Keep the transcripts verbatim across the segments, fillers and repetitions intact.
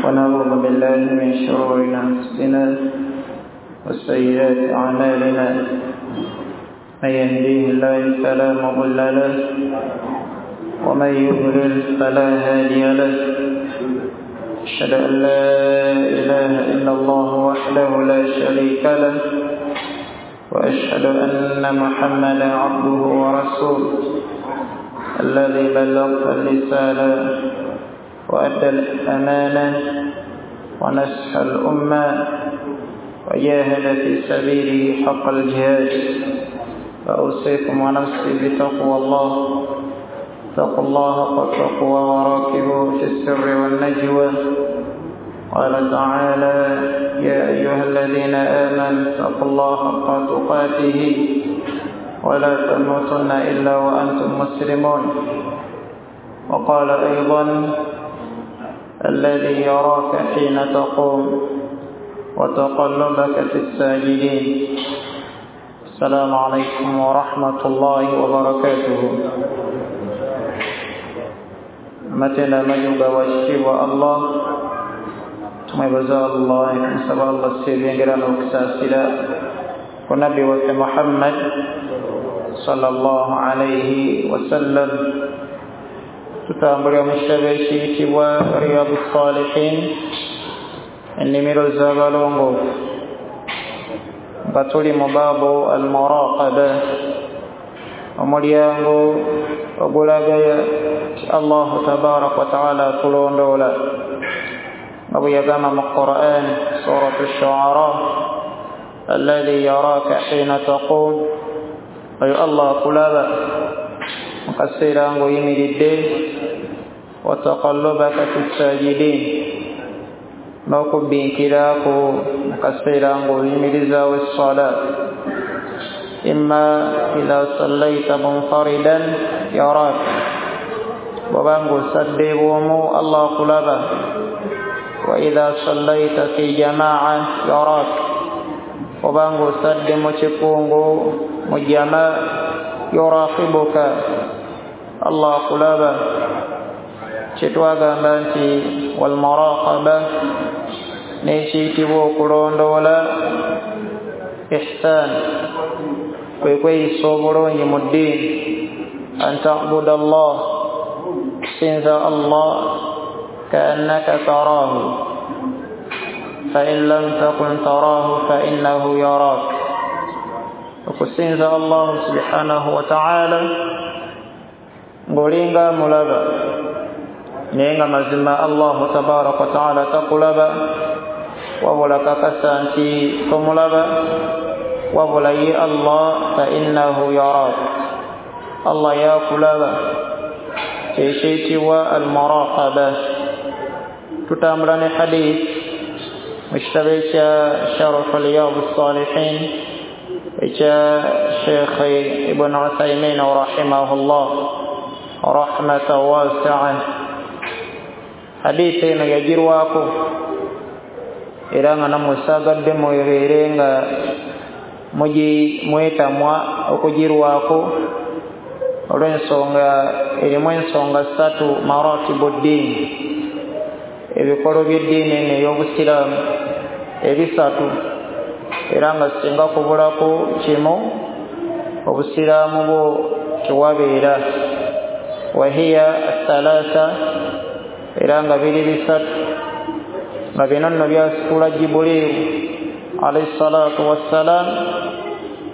ونعوذ بالله من شرور أنفسنا وسيئات أعمالنا، من يهديه الله فلا مضل له ومن يضلل فلا هادي له. أشهد أن لا إله إلا الله وحده لا شريك له، وأشهد أن محمدا عبده ورسوله الذي بلغ الرسالة وأدى الأمانة ونصح الأمة وجاهد في سبيله حق الجهاد. فأوصيكم ونفسي بتقوى الله. اتقوا الله حق التقوى وراقبوه في السر والنجوى. قال تعالى: يا أيها الذين آمنوا اتقوا الله حق تقاته ولا تموتن إلا وأنتم مسلمون. وقال أيضا: الذي يراك حين تقوم وتقلبك في الساجدين. السلام عليكم ورحمة الله وبركاته. Matenda majuga wa Allah, tumwebaza Allah, tusaba Allah sibyengera n'okusaasira ku nabbi waffe Muhammad sallallahu alayhi wasallam. Tutambulira mu kitabo ekiyitibwa Riyadu Salihin, ennimiro z'abalongoofu, nga tuli mu baabu al-muraqaba, omulyango ogulagaya Allah tabaraka wa taala atulondoola, nga bwe yagamba mu Qur'an suratu Shu'ara: alladhi yaraka hina taqum. Oyo Allah akulaba mu kaseera ng'oyimiridde, wa taqallubaka fi sajidin, n'okubbinkirako mu kaseera ng'oyimirizaawo esswala. Imma idha sallaita munfaridan yarak, bw'oba ng'osadde bw'omu Allah akulaba. Wa idha sallaita fi jamaa yarak, bw'oba ng'osadde mu kikungu mu jama yuraqibuka, Allah akulaba. Kyetwagamba nti walmuraqaba n'ekiyitibwa okulondoola ihsan, kwe kweyisa obulungi mu ddiini. An ta'buda Allah, kusinza Allah, kaannaka taraahu fa in lam takun taraahu fa innahu yaraak. Okusinza Allah subhanahu wa ta'ala ng'olinga mulaba, naye nga mazima Allah tabaraka wa ta'ala takulaba, wabula kakasa nti tomulaba, wabula ye Allah fa innahu yaraak, Allah yakulaba. Kyekiyitibwa al-muraqaba. Tutambula ne hadith mu kitabo ekya Sharh Riyadu Salihin ekya Sheikh Ibn Uthaymin rahimahullah rahmatan wasi'a. Hadithi eno yagirwako era nga nammwe saagadde mubeere nga mugi mwetamwa okugirwako olw'ensonga erimu ensonga ssatu maratibu ddiini, ebikolo by'eddiini eno ey'obusiraamu ebisatu, era nga singa kubulako kimu obusiraamu bwo tewabeera. Wahiya thalatha, era nga biri bisatu, nga bino nno byasitula Jibuliiru alayhi salatu wassalam,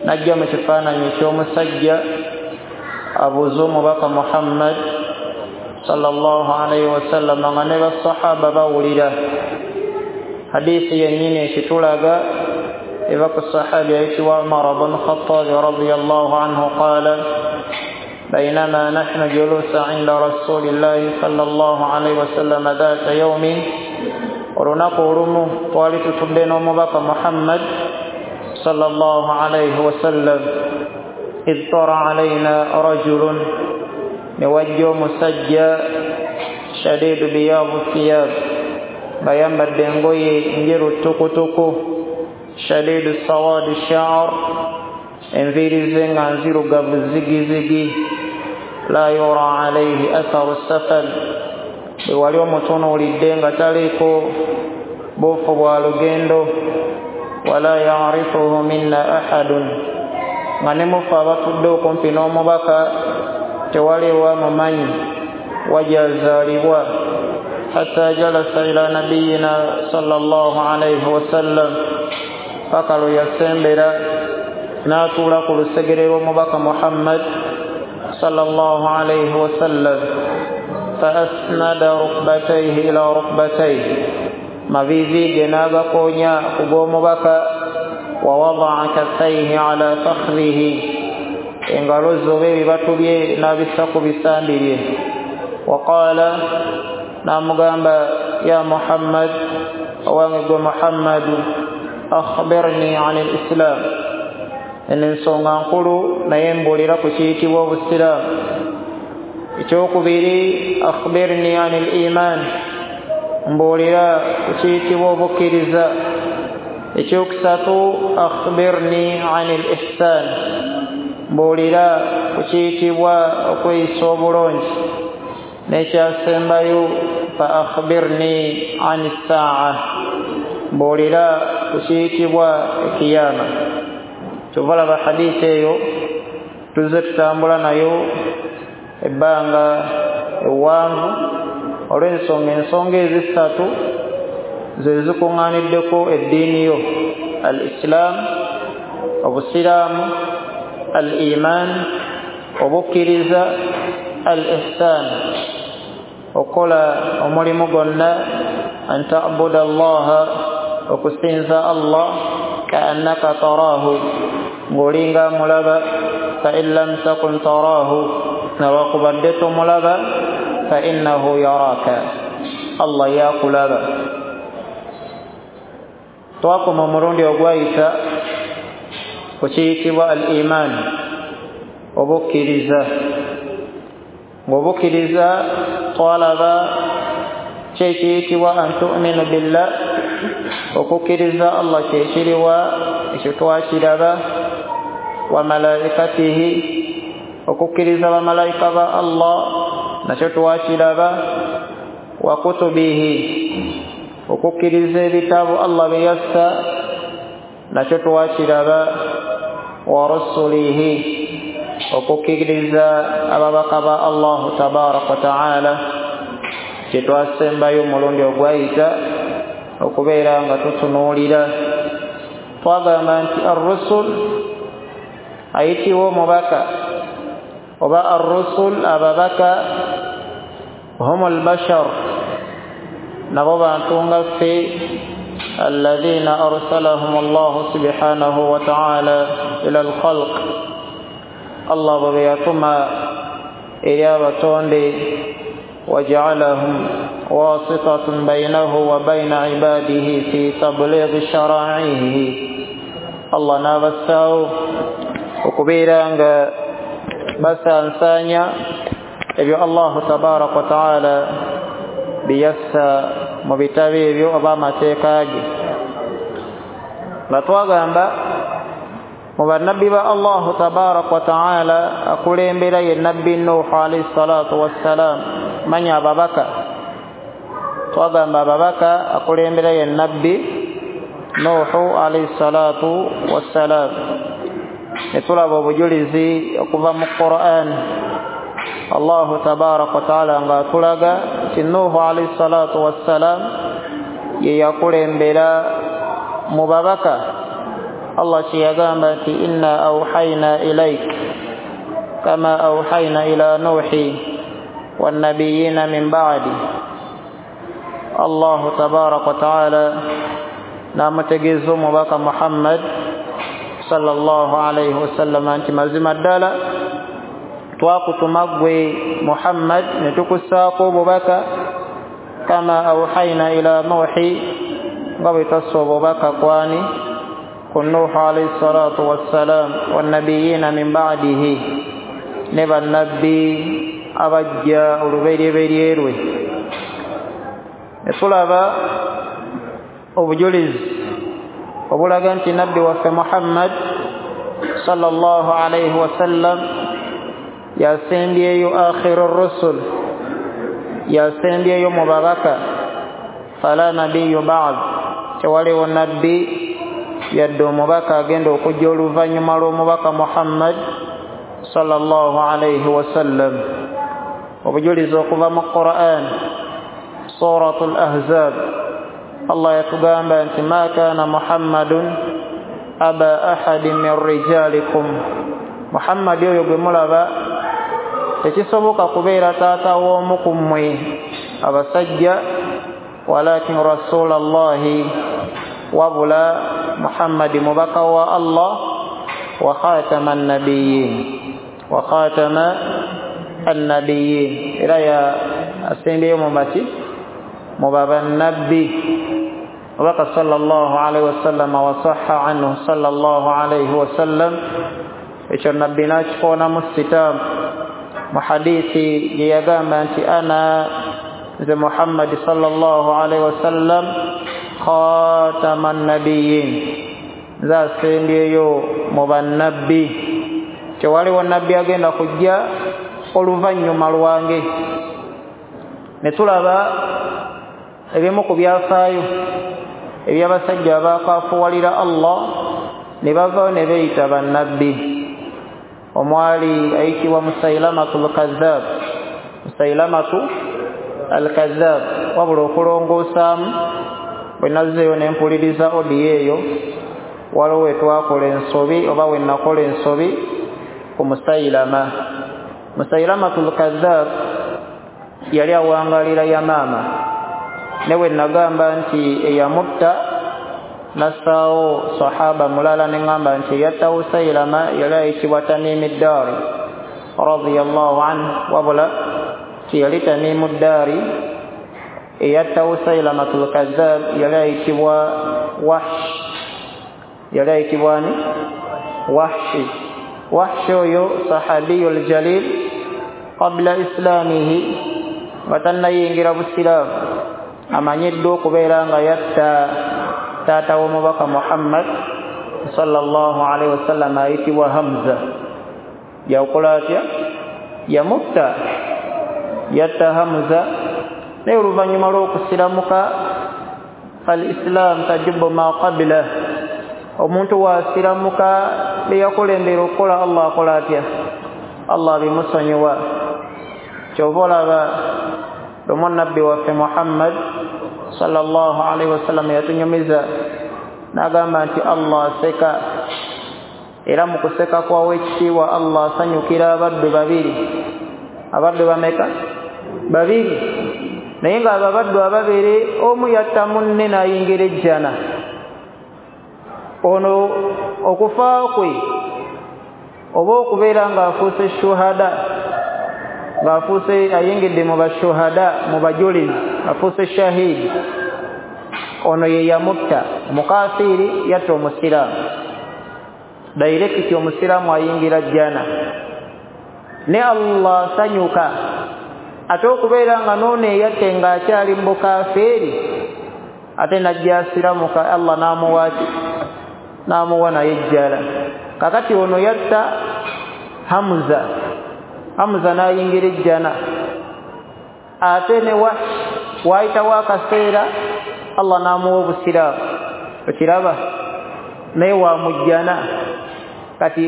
najja mu kifaananyi eky'omusajja abuuza omubaka Muhammad sallallahu alayhi wasallam, nga ne basahaba bawulira. Hadiisi yennyini ekitulaga eva ku sahabi ayitibwa Umar bun Khattab radiyallahu anhu qaala: بينما نحن جلوس عند رسول الله صلى الله عليه وسلم ذات يوم, olunaku olumu twali tutudde n'omubaka Muhammad sallallahu alayhi wasallam, idh tara alayna rajulun, ne wajja omusajja shadidu biyadu thiyab, nga yambadde engoye njeru ttukutuku, shadidu sawadi sha'r, enviiri ze nga nzirugavu zigizigi, la yura alayhi atharu safar, Bwe wali omutunuulidde nga taliiko buufu bwa lugendo. Wala yarifuhu minna ahadun, nga ne mufe abatudde okumpi n'omubaka tewaliwo amumanyi wajazaalibwa. Hatta jalasa ila nabiyina sallallahu alayhi wasallam, paka lwe yasembera n'atuula ku lusegere lw'omubaka Muhammad sallallahu alayhi wasallam. Fa asnada rukbatayhi ila rukbatayhi, mavivi ge n'agakonya ku g'omubaka. Wa wadaa kaffayhi ala fakhrihi, engalo ze oba ebibatu bye n'abissa ku bisambi bye. Wa qaala, n'amugamba, ya Muhammad, owange gwe Muhammadu, akhbirni ani lislam. Eno ensonga nkulu naye mbuulira ku kiyitibwa obusiraamu. Ekyokubiri, akhbirni ani liman, mbuulira ku kiyitibwa obukkiriza. Ekyokusatu, akhbirni ani lihsan, mbuulira ku kiyitibwa okweyisa obulungi. N'ekyasembayo, fa akhbirni ani ssaa, mbuulira ku kiyitibwa ekiyama. Kyova laba hadiisi eyo tuzze tutambula nayo ebbanga ewanvu olw'ensonga ensonga ezisatu ze zikuŋŋaaniddeko eddiini yo: al islam, obusiraamu, al iman, obukkiriza, al ihsan, okukola omulimu gwonna, an tabuda allaha, okusinza Allah, kaannaka taraahu, ng'olinga mulaba, fa in lam takun taraahu, newakubadde tomulaba, fa innahu yaraka, Allah yakulaba. Twakoma omulundi ogwayita ku kiyitibwa al iman, obukkiriza. Ng'obukkiriza twalaba kyekiyitibwa an tuminu billah, okukkiriza Allah kyekiriwa, ekyo twakiraba. Wa malaikatihi, okukkiriza bamalayika ba Allah nakyo twakiraba. Wa kutubihi, okukkiriza ebitabo Allah bye yassa nakyo twakiraba. Wa rusulihi, okukkiriza ababaka ba Allahu tabaraka wa taala, kye twasembayo omulundi ogwayita okubeera nga tutunuulira. Twagamba nti arrusul ayitibwa omubaka, oba arrusul ababaka, hum albashar, nabo bantu nga ffe, alladhina arsalahum Allahu subhanahu wa ta'ala ila alkhalq, Allah bwe yatuma eri abatonde. Waja'alahum wasitatan bainahu wa baina ibadihi fi tablighi shara'ihi, Allah n'abassaawo okubeera nga basansaanya ebyo Allahu tabaraka wa taala biyassa mu bitabo ebyo oba amateeka ge. Nga twagamba mu bannabbi ba Allahu tabaraka wa taala akulembera ye nabbi Nuhu alayhi salatu wassalam, manya ababaka. Twagamba ababaka akulembera ye nabbi Nuhu alayhi salatu wassalam. Ne tulaba obujulizi okuva mu Qur'an, Allahu tabaraka wa taala ng'atulaga nti Nuhu alayhi salatu wassalam ye yakulembera mu babaka. Allah kyeyagamba nti inna awhayna ilayk kama awhayna ila Nuhi wannabiyina min ba'di. Allahu tabaraka wa taala n'amutegeeza omubaka Muhammad sallallahu alayhi wasallam nti mazima ddala twakutuma ggwe Muhammad ne tukussaako obubaka, kama awhayna ila Nuhi, nga bwe twassa obubaka kwani ku Nuhu alayhi salatu wassalam, wannabiyina min ba'dihi, ne bannabbi abajja olubereberye lwe. Ne tulaba obujulizi obulaga nti nabbi waffe Muhammad sallallahu alayhi wasallam yasembyeyo akhiru rusul, Yasembyeyo mu babaka. Fala nabiyyu ba'd, tewaliwo nabbi yadde omubaka agenda okujja oluvannyuma lw'omubaka Muhammad sallallahu alayhi wasallam. Obujulizi okuva mu Qur'an, Suratul Ahzab, Allah yatugamba nti ma kana Muhammadun aba ahadin min rijalikum. Muhammad oyo gwe mulaba tekisoboka kubeera taata w'omu ku mmwe abasajja, walakin rasulallahi, wabula Muhammad mubaka wa Allah, wa khatama an-nabiyyin, wa khatama an-nabiyyin. Era ya asembyeyo mu baki mu bannabbi mubaka sallallahu alaihi wasallam wa sahha anhu sallallahu alaihi wasallam. Ekyo nabbi n'akikoonamu sitaamu mu hadithi gye yagamba nti ana nze Muhammad sallallahu alaihi wasallam khatama an-nabiyyin, nze asembyeyo mu bannabbi. Tewaliwo nabbi agenda kujja oluvannyuma lwange. Ne tulaba ebimu ku byafaayo eby'abasajja abaakaafuwalira Allah ne bavaayo ne beeyita bannabbi. Omwali ayitibwa Musailamatu al-Kadhab, Musailamatu al-Kadhab. Wabula okulongoosaamu bwe nazzeeyo ne mpuliriza odiyo eyo, waliwo we twakola ensobi oba we nakola ensobi ku Musailama. Musailamatu al-Kadhab yali awangalira Yamaama, ne we nagamba nti eyamutta nassaawo sahaba mulala ne ŋŋamba nti eyatta Musailama yali ayitibwa Tamimu Ddaari radiyallahu anhu, wabula tiyali Tamimu Ddaari. Eyatta Musailamatu al-Kadhab yali ayitibwa Wahsh, yali ayitibwa ani? Wahshi. Wahshi oyo sahabiyul jalil qabla islamihi, nga tannayingira busiraamu, amanyiddwa okubeera nga yatta taata w'omubaka Muhammad sallallahu alaihi wasallam ayitibwa Hamza. Yakola atya? Yamutta, yatta Hamza. Naye oluvannyuma lw'okusiramuka, fal-islaam tajibu ma qablah, omuntu bw'asiramuka bye yakulembera okukola Allah akola atya? Allah bimusonyiwa. Kyova olaba lumu nabbi waffe Muhammad sallallahu alaihi wasallam yatunyumiza n'agamba nti Allah aseka, era mu kuseka kwawo ekitiibwa Allah asanyukira abaddu babiri. Abaddu bameka? Babiri. Naye ng'abo abaddu ababiri omu yatta munne n'ayingira ejjana. Ono okufa kwe oba okubeera ng'afuuse shuhada, ng'afuuse ayingidde mu bashuhada, mu bajulizi, afuuse shahidi, ono ye yamutta. Omukafiiri yatta omusiraamu, dairekiti omusiraamu ayingira jjana. Ne Allah asanyuka ate okubeera nga n'ono eyatte ng'akyali mu bukafiiri ate n'ajja asiramuka, Allah n'amuwa ki? N'amuwa naye ejjala. Kakati ono yatta Hamza, Hamza n'ayingira ejjana. Ate ne Wahsh waayitawo akaseera Allah n'amuwa obusiraamu, okiraba, naye wamujjana. Kati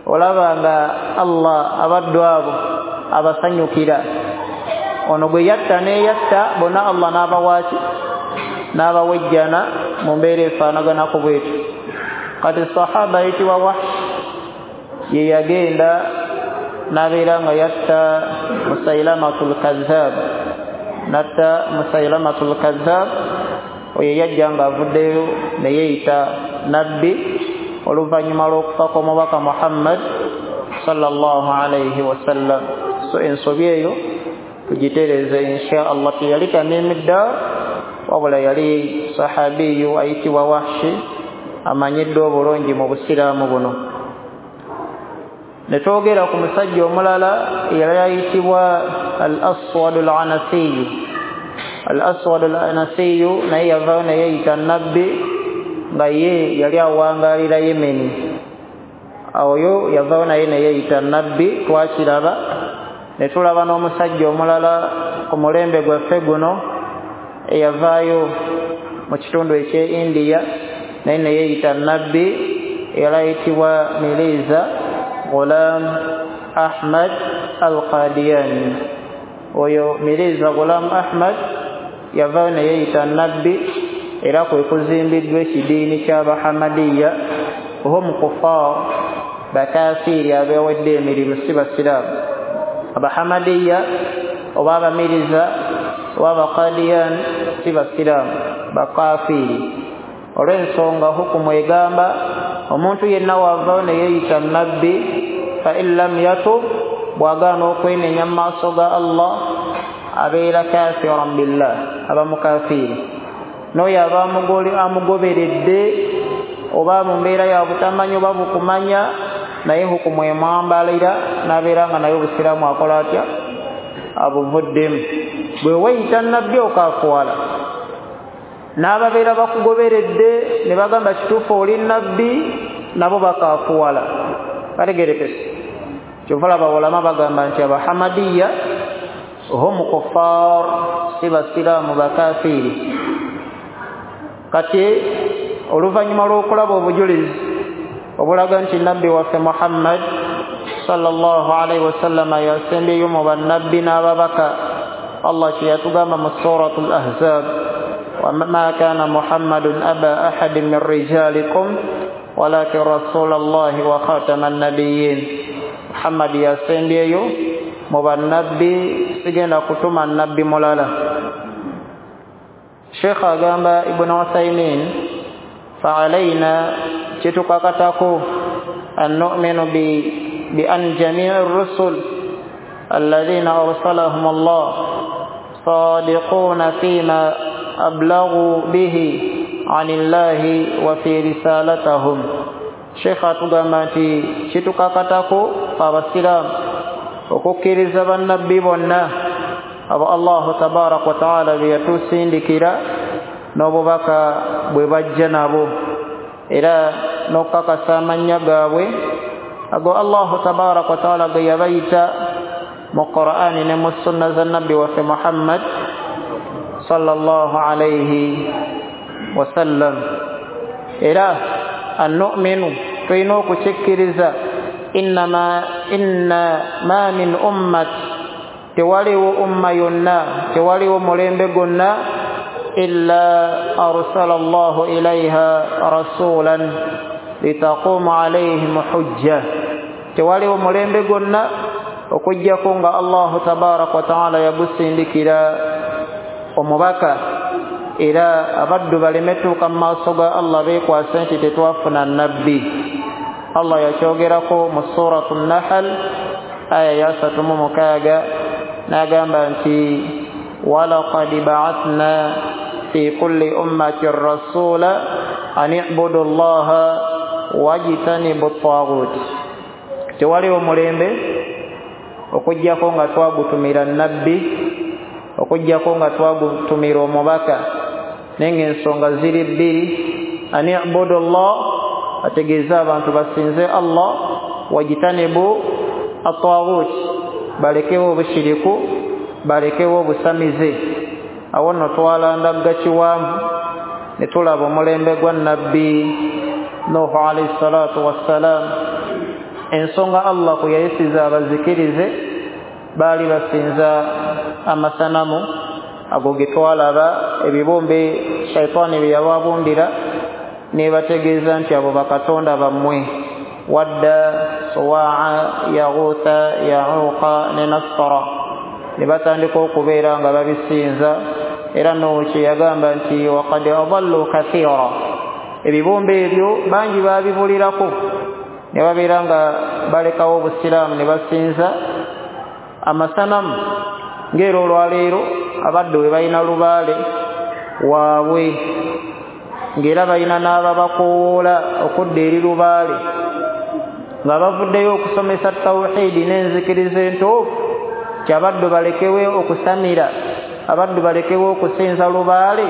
olaba nga Allah abaddu abo abasanyukira. Ono gwe yatta n'eyatta bonna Allah n'abawa ki? N'abawa ejjana mu mbeera efaanaganako bwetyo. Kati sahaba ayitibwa Wahsh ye yagenda n'abeera nga yatta Musailamatul Kadhab, n'atta Musailamatul Kadhab. Oyo yajja ng'avuddeyo ne yeeyita nabbi oluvannyuma lw'okufa kw'omubaka Muhammad sallallahu alayhi wasallam. So ensobi eyo tugitereeze insha Allah. Teyali Tamimu Ddaari, wabula yali sahabiyu ayitibwa Wahshi, amanyiddwa obulungi mu busiraamu buno. Ne twogera ku musajja omulala eyali ayitibwa Al-Aswad Al-Anasiyu. Al-Aswad Al-Anasiyu naye yavaayo ne yeeyita nabbi, nga ye yali awangaalira Yemeni. Oyo yavaayo naye ne yeeyita nabbi, twakiraba. Ne tulaba n'omusajja omulala ku mulembe gwaffe guno eyavaayo mu kitundu eky'e India naye ne yeeyita nabbi era ayitibwa Mirza Ghulam Ahmad al-Qadiani. Oyo Mirza Ghulam Ahmad yavaayo ne yeeyita nabbi era kwe kuzimbiddwa ekidiini ky'Abahamadiya. Hum kuffar, bakafiiri abeewedde emirimu, si basiraamu. Abahamadiya oba Abamiriza oba Abaqadiyan si basiraamu, bakafiiri. Olw'ensonga hukumu egamba omuntu yenna wavaayo ne yeeyita nabbi, fa in lam yatub, bw'agaana okwenenya mu maaso ga Allah abeera kafiran billah, aba mukafiiri. N'oyo aba amugoberedde oba mu mbeera ya butamanya oba bukumanya, naye hukumu emwambalira n'abeera nga naye obusiraamu akola atya, abuvuddemu. Bwe weeyita nabbi okaafuwala, n'ababeera bakugoberedde ne bagamba kituufu oli nabbi, nabo bakaafuwala. Bategerekese. Kyova olaba ulama bagamba nti Abahamadiya hum kuffar, si basiraamu, bakafiiri. Kati oluvannyuma lw'okulaba obujulizi obulaga nti nabbi waffe Muhammad sallallahu alaihi wasallama yasembyeyo mu bannabbi n'ababaka, Allah kye yatugamba mu Suratul Ahzab, wama kana Muhammadun aba ahadin min rijalikum walakin rasulallahi wa khataman nabiyyin. Muhammad yasembyeyo mu bannabbi, sigenda kutuma nabbi mulala. Sheikh agamba Ibn Uthaymin, fa'alayna, kitukakatako an nu'minu bi bi an jami'i ar-rusul alladhina arsalahum Allah sadiquna fima ablaghu bihi 'anillahi wa fi risalatahum. Sheikh atugamba nti kitukakatako abasiraamu okukkiriza bannabbi bonna abo Allahu tabaraka wa taala be yatusindikira n'obubaka bwe bajja nabo, era n'okukakasa amannya gaabwe ago Allahu tabaraka wa taala ge yabayita mu Qur'ani ne mu sunna za nabbi waffe Muhammad sallallahu alayhi wasallam. Era annu'minu, tulina okukikkiriza, innama inna ma min ummati, tewaliwo umma yonna, tewaliwo mulembe gwonna illa arsala Allahu ilayha rasulan litaquma alayhim hujja. Tewaliwo mulembe gwonna okujjako nga Allahu tabaraka wa taala yagusindikira omubaka, era abaddu baleme tuuka mu maaso ga Allah beekwase nti tetwafuna nabbi. Allah yakyogerako mu Suratu Nahl aya ya asatu mu mukaaga n'agamba nti walaqad ba'athna fi kulli ummatin rasula an i'budu Allaha wajtanibu at-taghut. Tewaliwo mulembe okujjako nga twagutumira nabbi, okujjako nga twagutumira omubaka, naye ng'ensonga ziri bbiri. An i'budu Allah, ategeeza abantu basinze Allah, wajtanibu at-taghut, balekewo obushiriku, balekewo obusamize. Awo nno twalandagga kiwanvu ne tulaba omulembe gwa nabbi Nuhu alayhi salatu wassalam. Ensonga Allah kwe yayisiza abazikirize baali basinza amasanamu ago ge twalaba, ebibumbe shaitaani bye yababumbira, nebategeeza nti abo bakatonda bammwe, Wadda, Suwaa, Yaghutha, Yauqa ne Nasara. Ne batandika okubeera nga babisinza. Era Nuhu kye yagamba nti waqad adallu kathira, ebibumbe ebyo bangi babibulirako ne babeera nga balekawo obusiraamu ne basinza amasanamu. Ng'era olwaleero abaddu bwe balina lubaale waabwe, ng'era balina n'ababakoowoola okudda eri lubaale, nga bavuddeyo okusomesa tawhidi n'enzikiriza entuufu, ti abaddu balekewe okusamira, abaddu balekewe okusinza lubaale.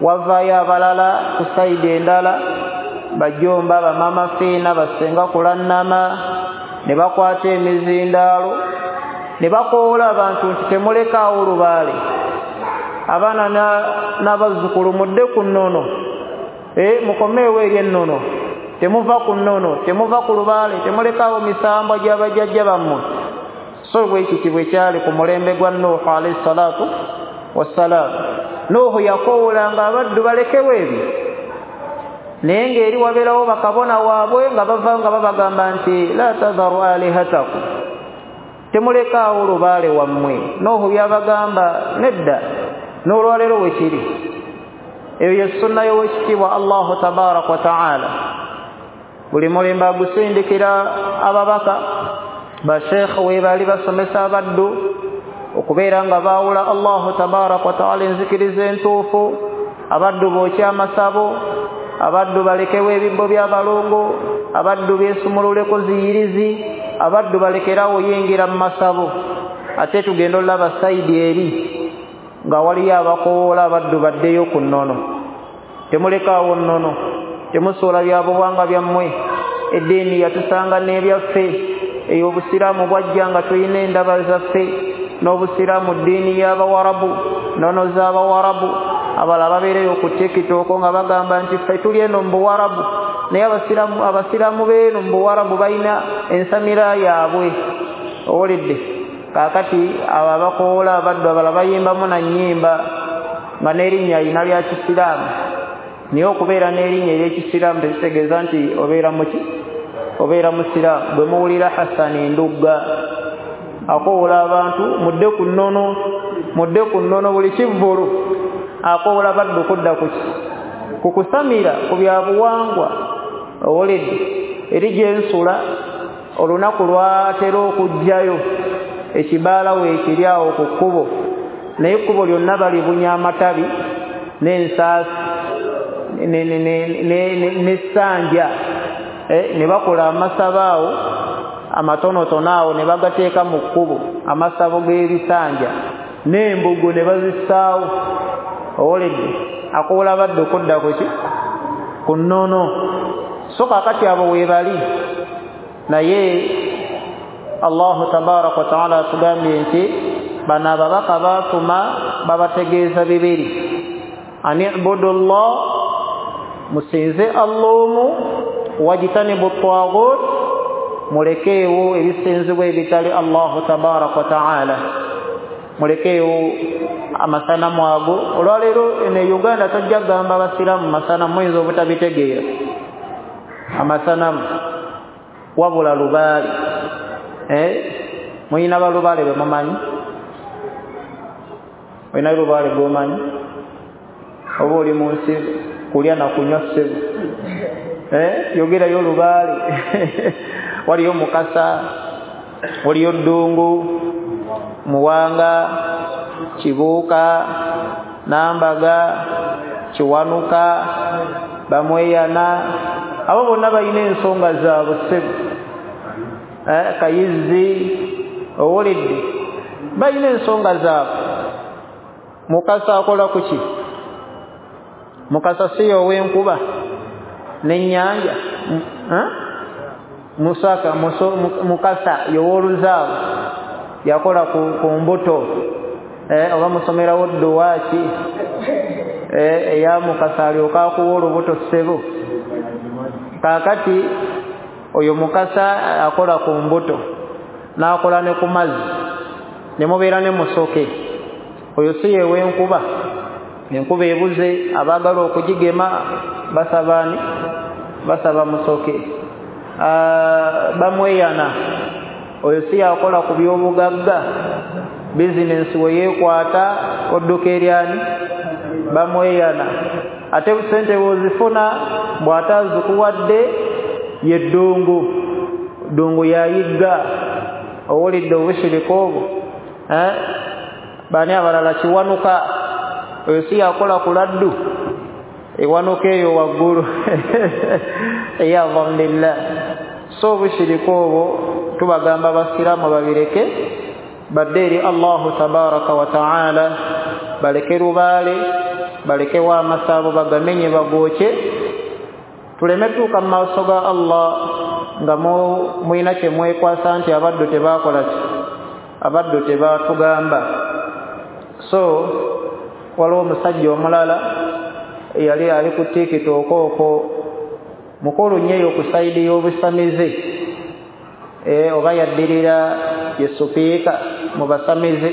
Wavaayo abalala ku sayidi endala, bajomba, bamama fiina, basenga kulannama, ne bakwata emizindaalo Ne bakoola abantu nti temulekaawo lubaale, abaana n'abazzukulu mudde ku nnono, mukomeewo eri ennono, temuva ku nnono, temuva ku lubaale, temulekaawo misambwa gy'abajjajja bammwe. So bwe kiti bwe kyali ku mulembe gwa Nuuhu alayhi salaatu wassalaam. Nuuhu yakoowolanga abaddu balekewo ebyo, naye ng'eri wabeerawo bakabona waabwe nga bava nga babagamba nti la tadharu alihatakum, temulekaawo lubaale wammwe. Nuuhu byabagamba nedda, n'olwaleero we kiri. Eyo ye sunna y'owekitiibwa Allahu tabaraka wa taala. Buli mulembe agusindikira ababaka, basheekhe we baali basomesa abaddu okubeera nga baawula Allahu tabaraka wa taala enzikiriza entuufu, abaddu bookye amasabo, abaddu balekewo ebibbo by'abalongo, abaddu beesumululeko ziyirizi, abaddu balekerawo yingira mu masabo. Ate tugenda olaba sayidi eri nga waliyo abakowoola abaddu baddeyo ku nnono. Temulekaawo nnono, temusuula byabuwangwa byammwe, eddiini yatusanga n'ebyaffe. Eyo obusiraamu bwajja nga tulina endaba zaffe, n'obusiraamu ddiini y'abawarabu, nnono z'abawarabu. Abalala babeereyo ku TikTok nga bagamba nti ffe tuli eno mu buwarabu, naye abasiraamu abasiraamu b'eno mu buwarabu balina ensamira yaabwe. Owulidde? Kaakati abo abakowoola abaddu abalala bayimbamu na nnyimba nga n'erinnya alina lya kisiraamu, naye okubeera n'erinnya ery'ekisiraamu tekitegeeza nti obeera muki, obeera musiraamu. Bwe muwulira Hasani Ndugga akowoola abantu mudde ku nnono, mudde ku nnono, buli kivvulu akowoola baddu kudda ku ki, ku kusamira ku byabuwangwa. Owulidde? Eri gy'ensula olunaku lwatera okujjayo ekibaala weekiri awo ku kkubo, naye ekkubo lyonna balibunya amatabi n'ensaasi n'essanja, ne bakola amasabo awo amatonotono awo ne bagateeka mu kkubo, amasabo g'ebisanja n'embugo ne bazissaawo. Owulidde? Akowoola badde okudda ku ki, ku nnono. So kaakati abo weebali, naye Allahu tabaraka wa taala atugambye nti bano ababaka baatuma babategeeza bibiri: ani ibudu llah, musinze Allah omu, wajtanibu taghut, mulekeewo ebisinzibwa ebitali Allahu tabaraka wa taala, mulekeewo amasanamu ago. Olwaleero eno e Uganda tojja kugamba abasiraamu masanamu, muyinza obutabitegeera amasanamu, wabula lubaale. Eh, muyina balubaale be mumanyi? Olina lubaale gw'omanyi? Oba oli mu nsi kulya na kunywa ssebo? Eh, yogerayo lubaale. Waliyo Mukasa, waliyo Ddungu, Muwanga, Kibuuka, Nambaga, Kiwanuka, Bamweyana. Abo bonna balina ensonga zaabwe ssebo. Eh, Kayizzi, owulidde? Balina ensonga zaabwe. Mukasa akola ku ki? Mukasa si ow'enkuba n'ennyanja. Musaka, Mukasa y'ow'oluzaawo yakola ku, ku mbuto, eh, oba musomerawo dduwaaki eh, eya Mukasa alyoka akuwa olubuto ssebo. Kaakati oyo Mukasa akola ku mbuto n'akola ne ku mazzi, ne mubeera ne musoke. Oyo si yew'enkuba, enkuba ebuze, abaagala okugigema basaba ani? Basaba musoke. Bamweyana, oyo si yakola ku byobugagga, bizinensi we yeekwata odduka eryani? Bamweyana. Ate sente bw'ozifuna bw'ataazikuwadde ye Ddungu, Ddungu yayigga. Owulidde obushirika obwo? Eh, bani abalala? Kiwanuka, oyo si yakola ku laddu, ewanuka eyo waggulu. Eyalhamdulillah. So obushirika obwo tubagamba abasiraamu babireke, badde eri Allahu tabaraka wa taala, baleke lubaale, balekewo amasabo bagamenye bagookye, tuleme tuuka mu maaso ga Allah nga mulina kye mwekwasa nti abaddu tebaakola ki, Abaddu tebatugamba. So waliwo omusajja omulala eyali ali ku TikTok okwo, mukulu nnyo eyo ku sayidi y'obusamize, eh, oba yaddirira ye supiika mu basamize,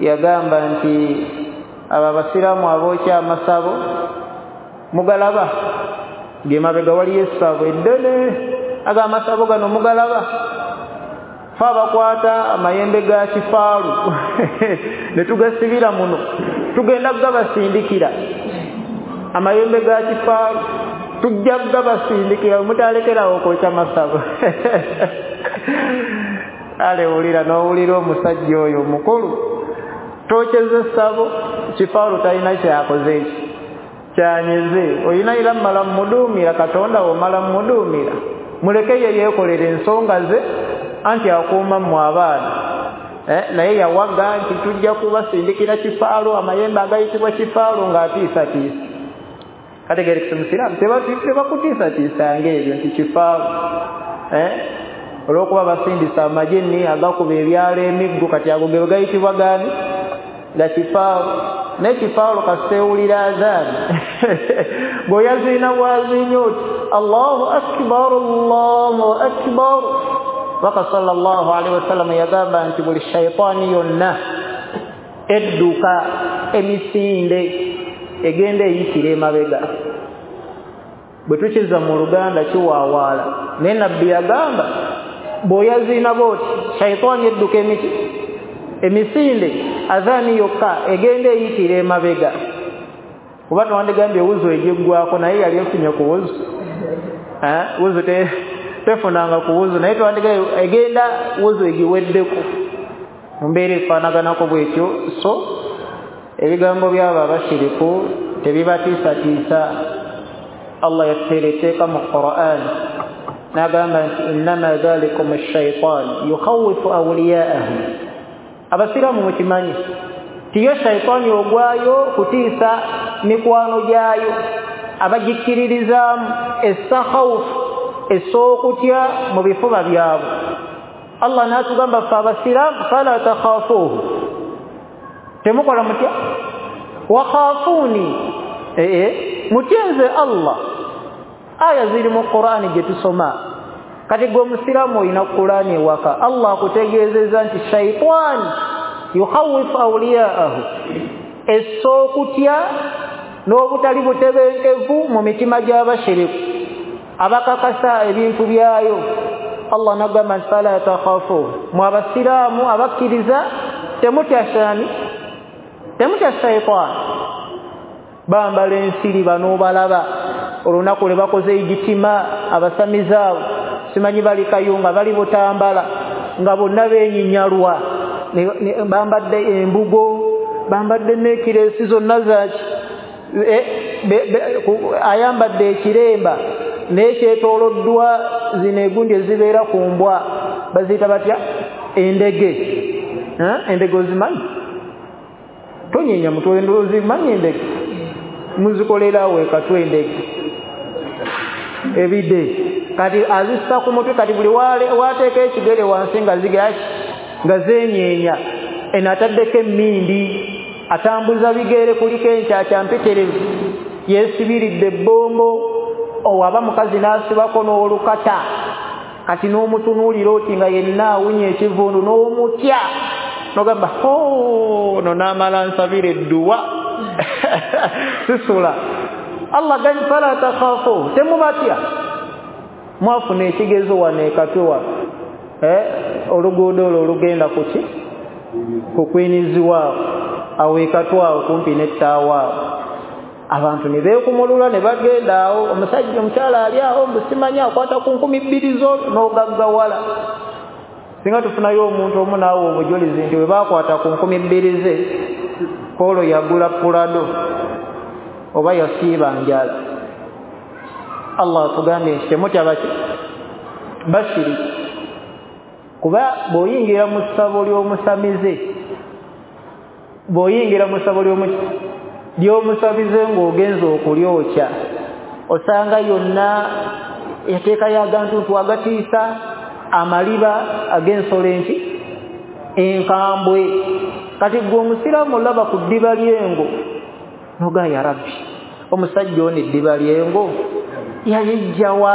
yagamba nti abo abasiraamu abookya amasabo mugalaba, ng'emabega waliyo essabo eddene, aga amasabo gano mugalaba, fe abakwata amayembe ga kifaalu ne tugasibira muno, tugenda gabasindikira amayembe ga kifaalu, tujja gabasindikira, mutalekerawo okwokya masabo. Ale wulira n'owulira omusajja oyo mukulu, tokyeza essabo, kifaalu talina kyakoze eki kyanyeze, olina era mmala mmuduumira, Katonda womala mmuduumira, muleke ye yeekolera ensonga ze, anti akuuma mmwe abaana. Eh, naye yawaga nti tujja kubasindikira kifaalu, amayembe agayitibwa kifaalu, ng'atiisatiisa. Kategerekesa omusiraamu tebakutiisatiisanga ebyo nti kifaalu, eh, olw'okuba basindisa amajinni agakuba ebyalo emiggo, kati ago ge gayitibwa gaani? Ga kifaalu. Naye kifaalu kasita azaani bw'oyaziina bwaziinya oti Allahu akbar, Allahu akbar. Baka sallallahu alaihi wasallam yagamba nti buli shaytaani yonna edduka emisinde egenda eyitira emabega. Bwe tukiza mu Luganda kiwaawaala, naye Nabbi yagamba bw'oyaziina bw'oti shaytaani edduka emiti emisinde, azaani yokka egenda eyitira emabega. Kuba twandigambye wuzu egiggwako, naye yali efunye ku wuzu, eh, wuzu te tefunanga ku wuzu, naye twandigambye egenda wuzu egiweddeko mu mbeera efaanaganako bwetyo. So ebigambo by'abo abashiriku tebibatiisatiisa. Allah yatuteera etteeka mu Qur'an n'agamba nti innama dhalikum ash-shaytan yukhawifu awliya'ahu. Abasiraamu mukimanyi tiyo shaytaani ogwayo kutiisa mikwano gyayo abagikkiririzaamu, essa khawfu, essa okutya mu bifuba byabwe. Allah n'atugamba ffe abasiraamu fala takhafuuhu, temukola mutya, wakhafuuni, ee mutye nze Allah. Aya ziri mu Qur'ani gye tusoma. Kati gwe omusiraamu olina Qur'ani ewaka, Allah akutegeezezza nti shaytaani yukhawifu awliya'ahu, essa okutya n'obutali butebenkevu mu mitima gy'abashiriku abakakasa ebintu byayo. Allah n'agamba nti fala takhafuuhu, mwe abasiraamu abakkiriza temutya shani, temutya shaytaani. Bambala ensiri bano balaba olunaku lwe bakoze egitima abasamize abo, simanyi bali Kayunga, bali Butambala, nga bonna beenyinyalwa, bambadde embugo, bambadde n'ekireesi zonna zaki, ayambadde ekiremba naye kyetooloddwa zino egundi ezibeera ku mbwa, baziyita batya? Endege. Endege ozimanyi? Tonyenya mutwe, ozimanyi endege? Muzikolera awo ekatwe endege ebide. Kati azissa ku mutwe, kati buli wateeka ekigere wansi nga zigaki nga zeenyeenya. Eno ataddeko emmindi, atambuza bigere, kuliko enkyakya mpitirivu, yeesibiridde ebbombo, owaba mukazi n'asibako n'olukata, kati n'omutunuulira oti nga yenna awunya ekivundu n'omutya, n'ogamba ho no n'amala nsabira edduwa sisula. Allah gani fala takhafu, temubatya. Mwafuna ekigezo wano ekatwe wano, eh, oluguudo olwo olugenda kuki ku Queens awo ekatwe awo kumpi n'ettaawa awo, abantu ne beekumulula ne bagenda awo, omusajja omukyala ali awo mbu simanyi akwata ku nkumi bbiri zo n'ogaggawala. Singa tufunayo omuntu omu naawe obujulizi nti bwe baakwata ku nkumi bbiri ze koolo yagula Pulado oba yasiiba njala. Allah atugambye nti temutya baki bashiriki, kuba bw'oyingira mu ssabo ly'omusamize, bw'oyingira mu ssabo ly'omusamize ng'ogenza okulyokya, osanga yonna yateekayo agantuntu agatiisa, amaliba ag'ensolo enki Enkambwe. Kati gwe omusiraamu olaba ku ddiba ly'engo noga ya Rabbi, omusajja ono eddiba ly'engo yayijjawa?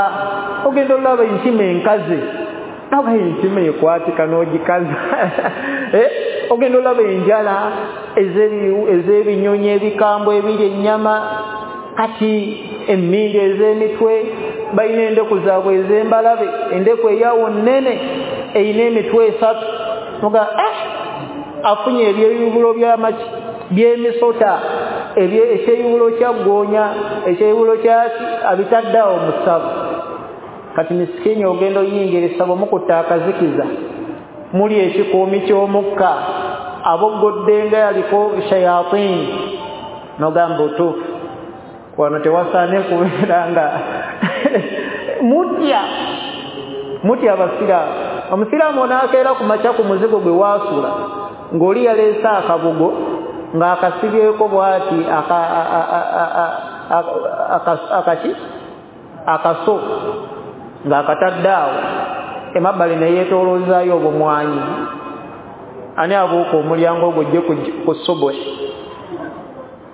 Ogenda olaba enkima enkaze, noga enkima ekwatika n'ogikaza. Eh, ogenda olaba enjala ez'ebinyonyi ebikambwe ebiri ennyama, kati emmindi ez'emitwe, balina endeku zaabwe ez'embalabe, endeku eyawo nnene eyina emitwe esatu. Noga eh, afunye ebyeyubulo by'amaki by'emisota, ekyeyubulo kya ggoonya, ekyeyubulo kyaki, abitadde awo mu ssabo. Kati misikini ogenda oyingira essabo mukutta akazikiza, muli ekikuumi ky'omukka, aboggodde nga yaliko shayatini. Nogamba otuufu wano tewasaane kubeera nga mutya mutya abasiraamu. Omusiraamu onaakeera ku makya ku muzigo gwe waasula ng'oli yaleese akabugo ng'akasibyeko bw'ati akaki akaso ng'akatadde awo emabbali ne yeetooloozaayo obumwanyi. Ani abuuka omulyango ogwo ojje ku subuhi?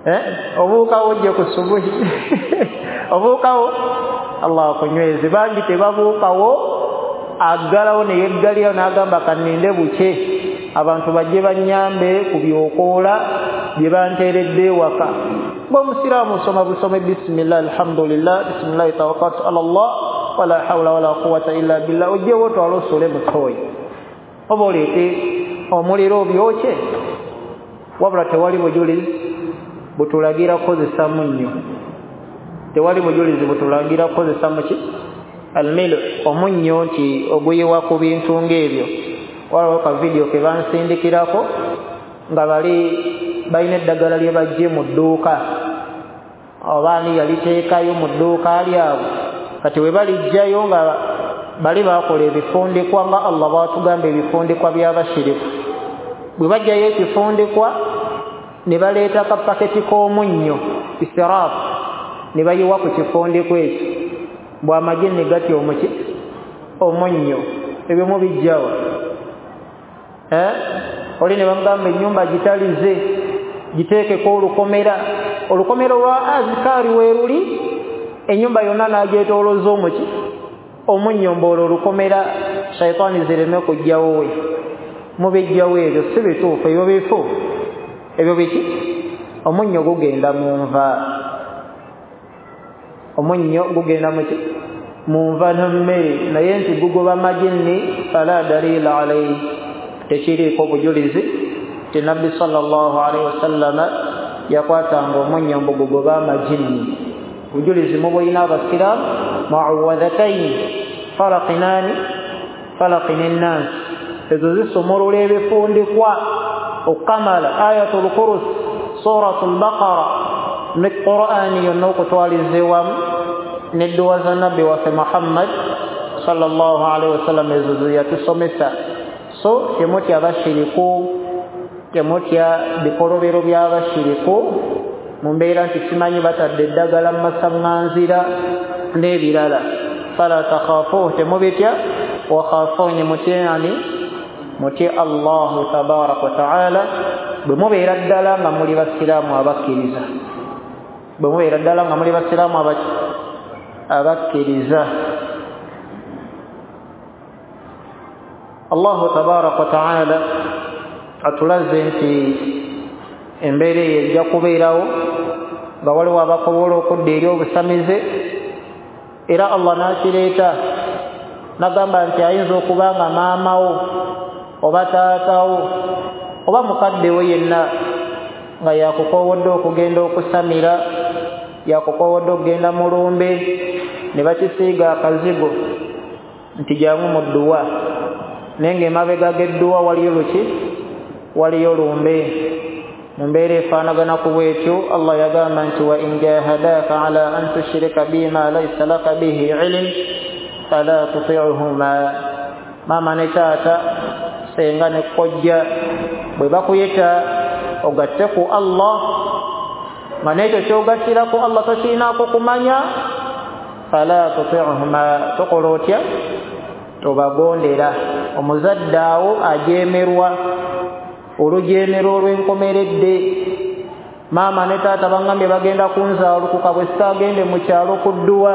Eh, obuukawo ojje ku subuhi? Obuukawo? Allah akunyweze. Bangi tebabuukawo, aggalawo ne yeggalirawo n'agamba kanninde bukye abantu bajje bannyambe ku byokoola bye banteeredde ewaka. Bw'omusiraamu osoma busome bismillah alhamdulillah bismillahi tawakkaltu ala Allah wala hawla wala quwwata illa billah, ojjewo otwale osule mu ttooyi oba oleete omuliro obyokye. Wabula tewali bujulizi butulagira kukozesa munnyo, tewali bujulizi butulagira kukozesa muki almilu, omunnyo nti oguyiwa ku bintu ng'ebyo. Waliwo ka vidiyo ke bansindikirako nga bali balina eddagala lye baggye mu dduuka, oba ani yaliteekayo mu dduuka lyabwe. Kati we balijjayo nga bali bakola ebifundikwa nga Allah bw'atugamba ebifundikwa by'abashiriku. Bwe bajjayo ekifundikwa ne baleeta kapaketi k'omunnyo isiraafu ne bayiwa ku kifundikwa ekyo, bw'amagye ne gatya omuki omunnyo. Ebyo mubijjawa. Eh, oli ne bamugamba ennyumba gitalize giteekeko olukomera, olukomera lwa azikaari weeruli, ennyumba yonna n'agyetoolooza omuki omunnyo, mboolo olukomera shayitaani zireme kujjawo we. Mubijjawo ebyo si bituufu, ebyo bifu, ebyo biki? Omunnyo gugenda mu nva, omunnyo gugenda muki mu nva n'emmere, naye nti gugoba majinni fala dalila alayhi, tekiriiko bujulizi ti Nabbi sallallahu alaihi wasallama yakwatanga omunnyo mbu gugoba amajinni. Bujulizi mubulina abasiraamu muawadhataini falaqinani falaqini nnansi, ezo zisumulula ebifundikwa okukamala ayatul kursi, suratul baqara ne Qur'ani yonna okutwaliza ewamu n'edduwa za Nabbi waffe Muhammad sallallahu alaihi wasallam, ezo ze yatusomesa. So temutya abashiriku, temutya bikolobero by'abashiriku mu mbeera nti simanyi batadde eddagala mu masaŋŋanzira n'ebirala. Fala takhafuuhu, temubitya, wa khafuni, mutye ani? Mutye Allahu tabaraka wa taala. Bwe mubeera ddala nga muli basiraamu abakkiriza, bwe mubeera ddala nga muli basiraamu abakkiriza. Allahu tabaraka wa taala atulaze nti embeera eyo ejja kubeerawo nga waliwo abakobola okudda eri obusamize, era Allah n'akireeta n'agamba nti ayinza okuba nga maamawo oba taatawo oba mukadde we yenna nga yakukoowodde okugenda okusamira, yakukoowodde okugenda mu lumbe, ne bakisiiga akazigo nti jangu mu dduwa, naye ng'emabega g'edduwa waliyo luki? Waliyo lumbe. Mu mbeera efaanagana ku bwetyo Allah yagamba nti wa in jahadaka ala an tushrika bima laysa laka bihi ilm fala tuti'huma. Maama ne taata, senga ne kojja bwe bakuyita ogatte ku Allah, nga n'ekyo ky'ogattira ku Allah tokirinaako kumanya, fala tuti'huma, tokola otya? Tobagondera. Omuzadde awo ajeemerwa Olujeemera olw'enkomeredde. Maama ne taata bangambye bagenda kunzaalukuka bwe sitaagende mu kyalo ku dduwa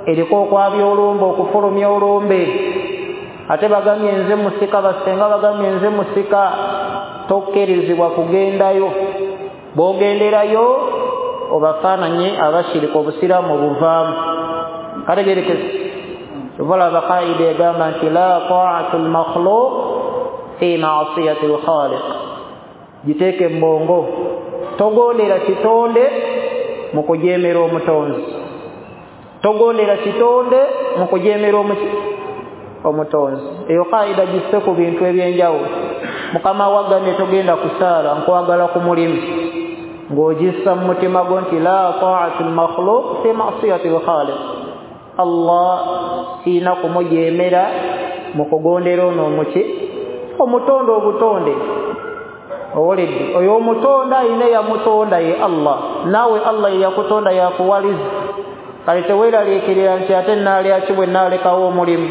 eriko okwabya olumbe, okufulumya olumbe. Ate bagambye nze musika, basenga bagambye nze musika. Tokkirizibwa kugendayo. Bw'ogenderayo obafaananye abashirika, obusiraamu buvaamu. Kategerekese. Kyova kaida egamba nti la ta'atu lmakhluq fi ma'siyati lkhaliq. Giteeke mu bwongo, togondera kitonde mu kujeemera omutonzi, togondera kitonde mu kujeemera omutonzi. Eyo kaida gisse ku bintu ebyenjawulo. Mukama wagambye togenda kusaala, nkwagala ku mulimu, ng'ogissa mu mutima gwo nti la ta'atu lmakhluq fi ma'siyati lkhaliq. Allah siina kumujeemera mu kugondera ono omuki omutonde obutonde. Owulidde? Oyo omutonda ayina yamutonda ye Allah, naawe Allah ye yakutonda yakuwaliza. Kale teweeraliikirira nti ate naalya ki bwe naalekawo omulimu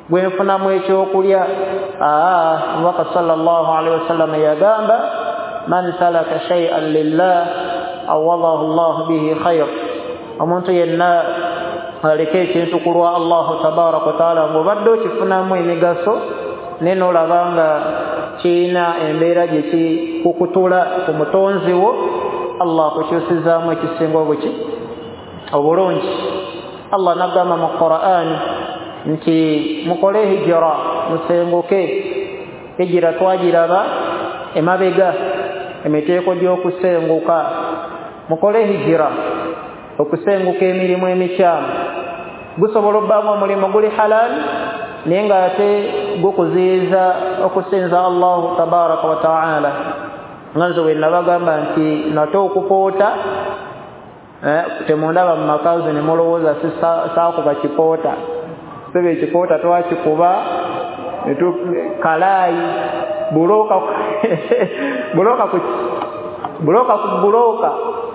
gwe nfunamu ekyokulya. Aa, Omubaka sallallahu alaihi wasallam yagamba man salaka shay'an lillah awadahu llahu bihi khayr. Omuntu yenna aleka ekintu ku lwa Allahu tabaraka wataala ng'obadde okifunamu emigaso naye n'olaba nga kirina embeera gye kikukutula ku mutonzi wo, Allah akukyusizaamu ekisinga obuki obulungi. Allah n'agamba mu Qur'an nti mukole hijira, musenguke. Hijira twagiraba emabega, emiteeko gy'okusenguka. Mukole hijira, okusenguka emirimu emikyamu. Gusobola obbaamu omulimu guli halal naye ng'ate gukuziyiza okusinza Allahu tabaraka wa taala. Nga nze bwe nabagamba nti nate okupoota, eh, temundaba mu makazi ne mulowooza saakuba kipoota. Sebe ekipoota twakikuba kalaayi, bulooka bulooka ku bulooka ku bulooka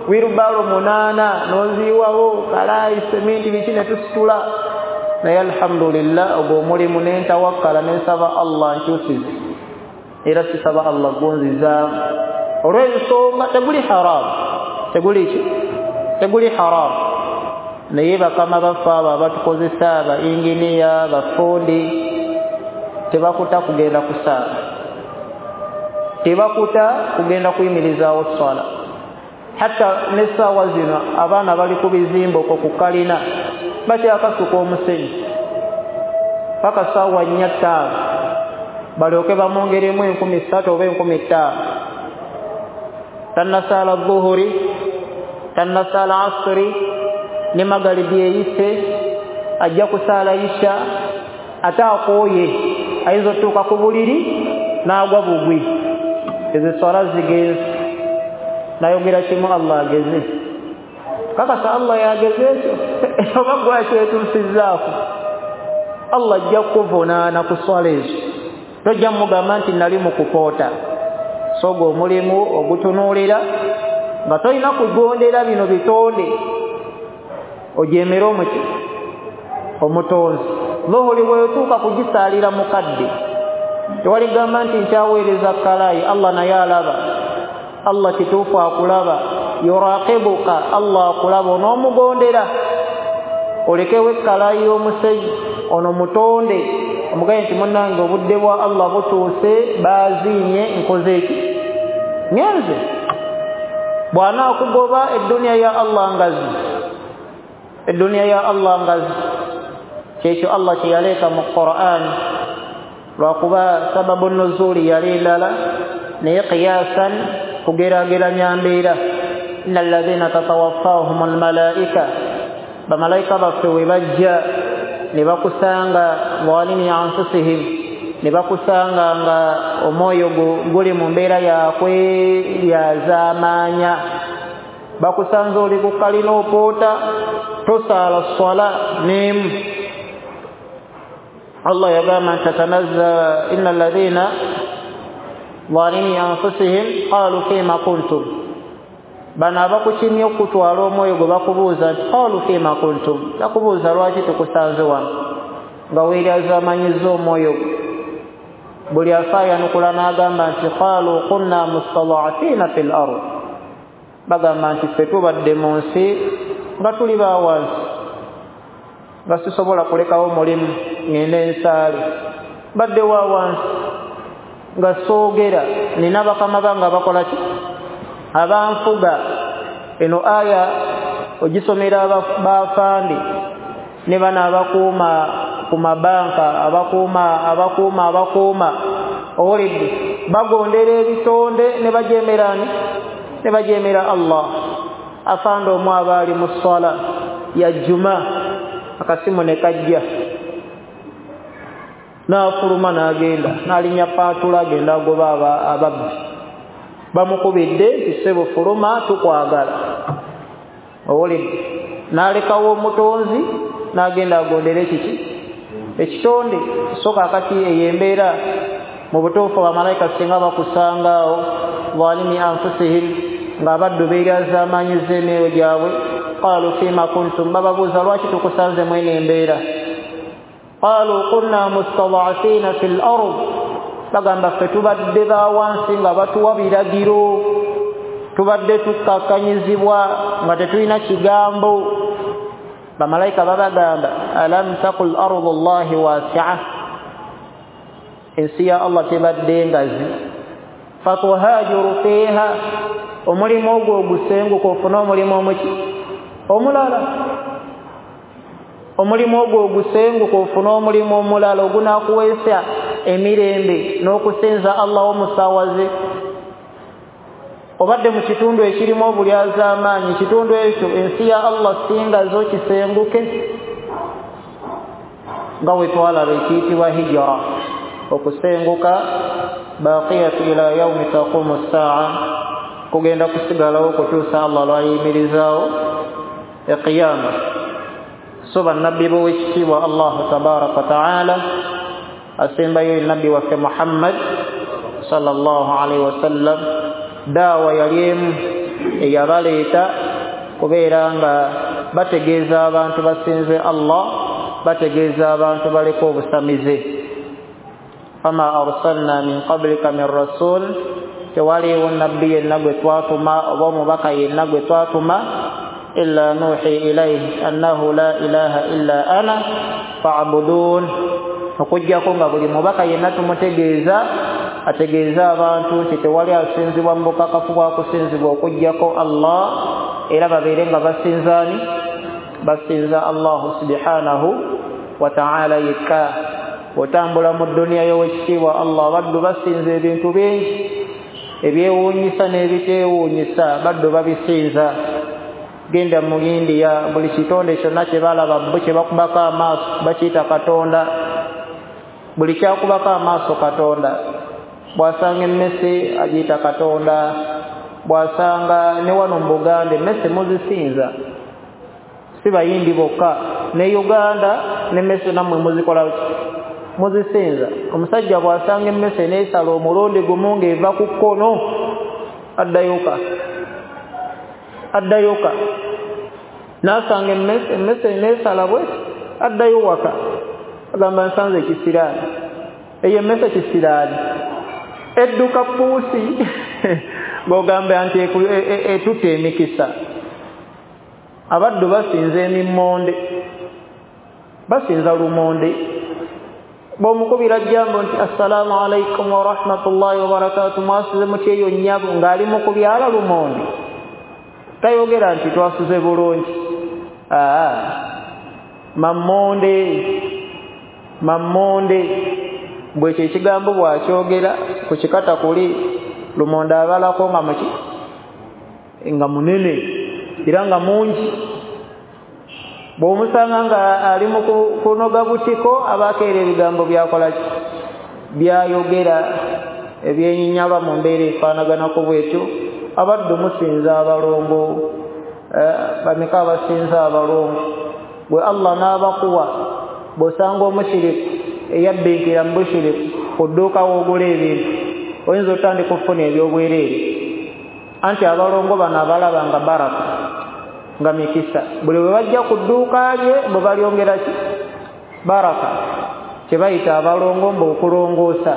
wirubalo munaana n'oziyiwawo kalaayi seminti biki ne tusitula. Naye alhamdulillah ogwo omulimu ne ntawakkala ne nsaba Allah nkyusize, era sisaba Allah gunzizaamu olw'ensonga teguli haramu, teguli ki teguli haramu. Naye bakama baffe abo abatukozesa, ba inginiya, bafundi, tebakuta kugenda kusaala, tebakuta kugenda kuyimirizaawo swala. Hatta n'essaawa zino abaana bali ku bizimbe okwo ku kalina bakyakasuka omusenyu paka ssaawa nnya ttaano balyoke bamwongeremu enkumi ssatu oba enkumi ttaano. Tannasaala dhuhuri, tannasaala asuri, ne magalibi eyise, ajja kusaala isha, ate akooye ayinza otuuka ku buliri n'agwa bugwi. Ezo swala zigenze. Nayogera kimu, Allah ageze. Kakasa Allah yageze ekyo oba gwakyetuusizzaako, Allah ajja kukuvunaana ku swala ezo. Tojja mugamba nti nali mu kupoota. So gwe omulimu ogutunuulira nga tolina kugondera bino bitonde, ojeemere omuki omutonzi. Dhuhuri bw'otuuka kugisaalira mukadde, tewaligamba nti nkyaweereza kalaayi. Allah naye alaba, Allah kituufu akulaba, yuraqibuka, Allah akulaba, onoomugondera olekewo ekkalaayi y'omusenyu ono mutonde, omugaye nti munnange obudde bwa Allah butuuse, baaziinye, nkoze eki ngenze. Bw'anaakugoba edduniya ya Allah ngazi, edduniya ya Allah ngazi. Kyekyo Allah kye yaleeta mu Qur'an, lwakuba sababu nuzuuli yali ndala, naye qiyasan kugeraageranya mbeera. Inna alladhina tatawaffahum almalaika, bamalayika baffe we bajja ne bakusanga zalimi anfusihim, ne bakusanga nga omwoyo guli mu mbeera yakweryazaamaanya, bakusanze oli ku kalina opoota, tosaala swala n'emu. Allah yagamba nti tatanazza inna alladhina zalimi anfusihim qalu fima kuntum. Bano abakukimye okutwala omwoyo gwe bakubuuza nti qalu fima kuntum, bakubuuza lwaki tukusanze wano nga weeryazaamanyizza omwoyo gwe. Buli afayanukula n'agamba nti qalu kunna mustad'afina fil ard, bagamba nti ffe tubadde mu nsi nga tuli ba wansi, nga sisobola kulekawo mulimu ngende nsaale, badde wa wansi nga soogera, nina bakama bange abakola ki, abanfuga. Eno aya ogisomera bafandi ne bano abakuuma ku mabanka, abakuuma abakuuma abakuuma owulidde, bagondera ebitonde ne bajemerani ne bajemera Allah. Afande omu aba ali mu sswala ya juma, akasimu ne kajja n'afuluma n'agenda n'alinnya paatula agenda agoba ababbi, bamukubidde nti ssebo fuluma tukwagala. Owulidde, n'alekawo omutonzi n'agenda agondera ekiki ekitonde. So kaakati eyo embeera mu butuufu bamalayika singa bakusangaawo zalimi anfusihim, ng'abaddu beeryazaamaanyiza emyoyo gyabwe. Qalu fima kuntum, bababuuza lwaki tukusanze mwene embeera. Qalu kunna mustad'afina fil ard, bagamba ffe tubadde ba wansi nga batuwa biragiro, tubadde tukkakanyizibwa nga tetulina kigambo. Bamalayika babagamba alam taqul ardu llahi wasi'a, ensi ya Allah tebadde ngazi. Fatuhajiru fiha, omulimu ogwo ogusenguka ofune omulimu omuki omulala, omulimu ogwo ogusenguka ofune omulimu omulala ogunaakuweesa emirembe n'okusinza Allah omusawaze. Obadde mu kitundu ekirimu obulyazaamaanyi, ekitundu ekyo ensi ya Allah singazo kisenguke, nga bwe twalaba ekiyitibwa hijra, okusenguka baqiyatu ila yaumi taqumu ssaa, kugenda kusigalawo okutuusa Allah lwayimirizaawo eqiyama. So bannabbi b'owekitiibwa Allahu tabaraka wa taala, asembayo nabbi waffe Muhammad sallallahu alaihi wasallam, daawa yali emu eyabaleeta kubeera nga bategeeza abantu basinze Allah, bategeeza abantu baleke obusamize. Fama arsalna min qablika min rasul, tewaliwo nabbi yenna gwe twatuma oba omubaka yenna gwe twatuma illa nuhi ilayhi annahu la ilaha illa ana fa'budun, okuggyako nga buli mubaka yenna tumutegeeza ategeeza abantu nti tewali asinzibwa mu bukakafu bwa kusinzibwa okuggyako Allah, era babeere nga basinzaani basinza Allahu subhanahu wa ta'ala yekka. Otambula mu dduniya y'owekitiibwa Allah, baddu basinza ebintu bingi ebyewuunyisa n'ebiteewuunyisa, baddu babisinza. Genda mu India, buli kitonde kyonna kye balaba bo kye bakubako amaaso bakiyita Katonda, buli kyakubako amaaso Katonda. Bw'asanga emmese agiyita Katonda, bw'asanga ne wano mu Buganda emmese muzisinza, si Bayindi bokka, ne Uganda n'emmese nammwe muzikola muzisinza. Omusajja bw'asanga emmese n'esala omulundi gumu ng'eva ku kkono addayoka addayoka, n'asanga emmese emmese n'esala bweti addayo waka, agamba nsanze ekisiraani, eyo emmese kisiraani edduka puusi ng'ogamba nti etuta emikisa. Abaddu basinza emimmonde, basinza lumonde. Bw'omukubira jambo nti assalaamu alaikum warahmatullahi wabarakatu, mwasuze mutya eyo nnyabo, ng'ali mu kubyala lumonde, tayogera nti twasuze bulungi. Aa, mammonde mammonde, bwekyo ekigambo bw'akyogera ku kikata kuli lumonde abalako nga muki nga munene era nga mungi. Bw'omusanga nga ali mu kunoga butiko abakeera ebigambo byakola ki byayogera ebyenyinyalwa mu mbeera efaanaganako bwetyo. Abaddu musinza abalongo, bameka abasinza abalongo, bwe Allah n'abakuwa. Bw'osanga omushiriku eyabbinkira mu bushiriku ku dduuka w'ogula ebintu, oyinza otandika okufuna ebyobwereere. Anti abalongo bano abalaba nga baraka, nga mikisa, buli bwe bajja ku dduuka lye bwe balyongera ki baraka, kye bayita abalongo mbu okulongoosa.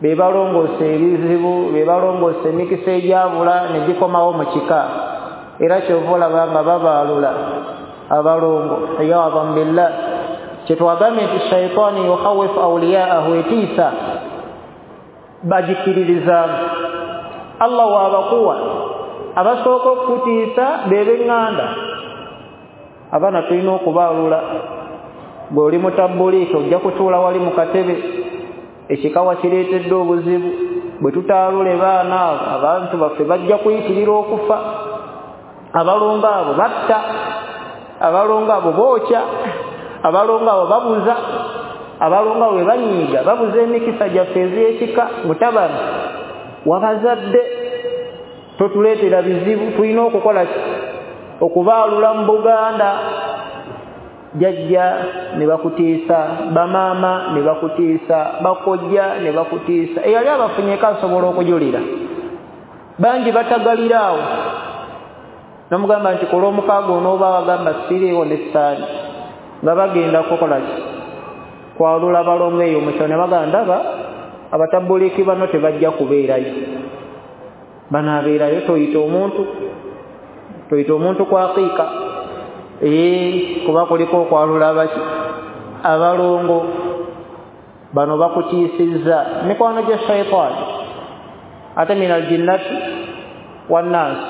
Be balongoosa ebizibu, be balongoosa emikisa egyabula ne gikomawo mu kika. Era kyova olaba nga babaalula abalongo, iyaadhan billah. Kyetwagambye nti shaitaani yukhawifu awliyaahu, etiisa bagikiririzaamu. Allah waabakuwa abasooka okukutiisa be b'eŋŋanda. Abaana tulina okubaalula. Bw'oli mutabbuliika ojja kutuula wali mu katebe, ekikawa kireetedde obuzibu. Bwe tutaalule baana abo, abantu baffe bajja kuyitirira okufa. Abalongo abo batta, abalongo abo bookya, abalongo abo babuza, abalongo abo bwe banyiiga babuza emikisa gyaffe ez'ekika. Mutabani wabazadde, totuleetera bizibu. Tulina okukola ki? Okubaalula mu Buganda. Jjajja ne bakutiisa, bamaama ne bakutiisa, bakojja ne bakutiisa. Eyali abafunyeeko asobola okujulira. Bangi batagalira awo, nomugamba nti ku lwomukaaga onooba wagamba siriiwo n'essaani, nga bagenda kukola ki? Kwalula balongo eyo mu kyalo. Ne bagamba ndaba abatabbuliiki bano tebajja kubeerayo, banaabeerayo. Toyita omuntu, toyita omuntu kwakiika, ee kuba kuliko okwalula abaki abalongo. Bano bakutiisizza mikwano gya shaitaani, ate min aljinnati wannaasi.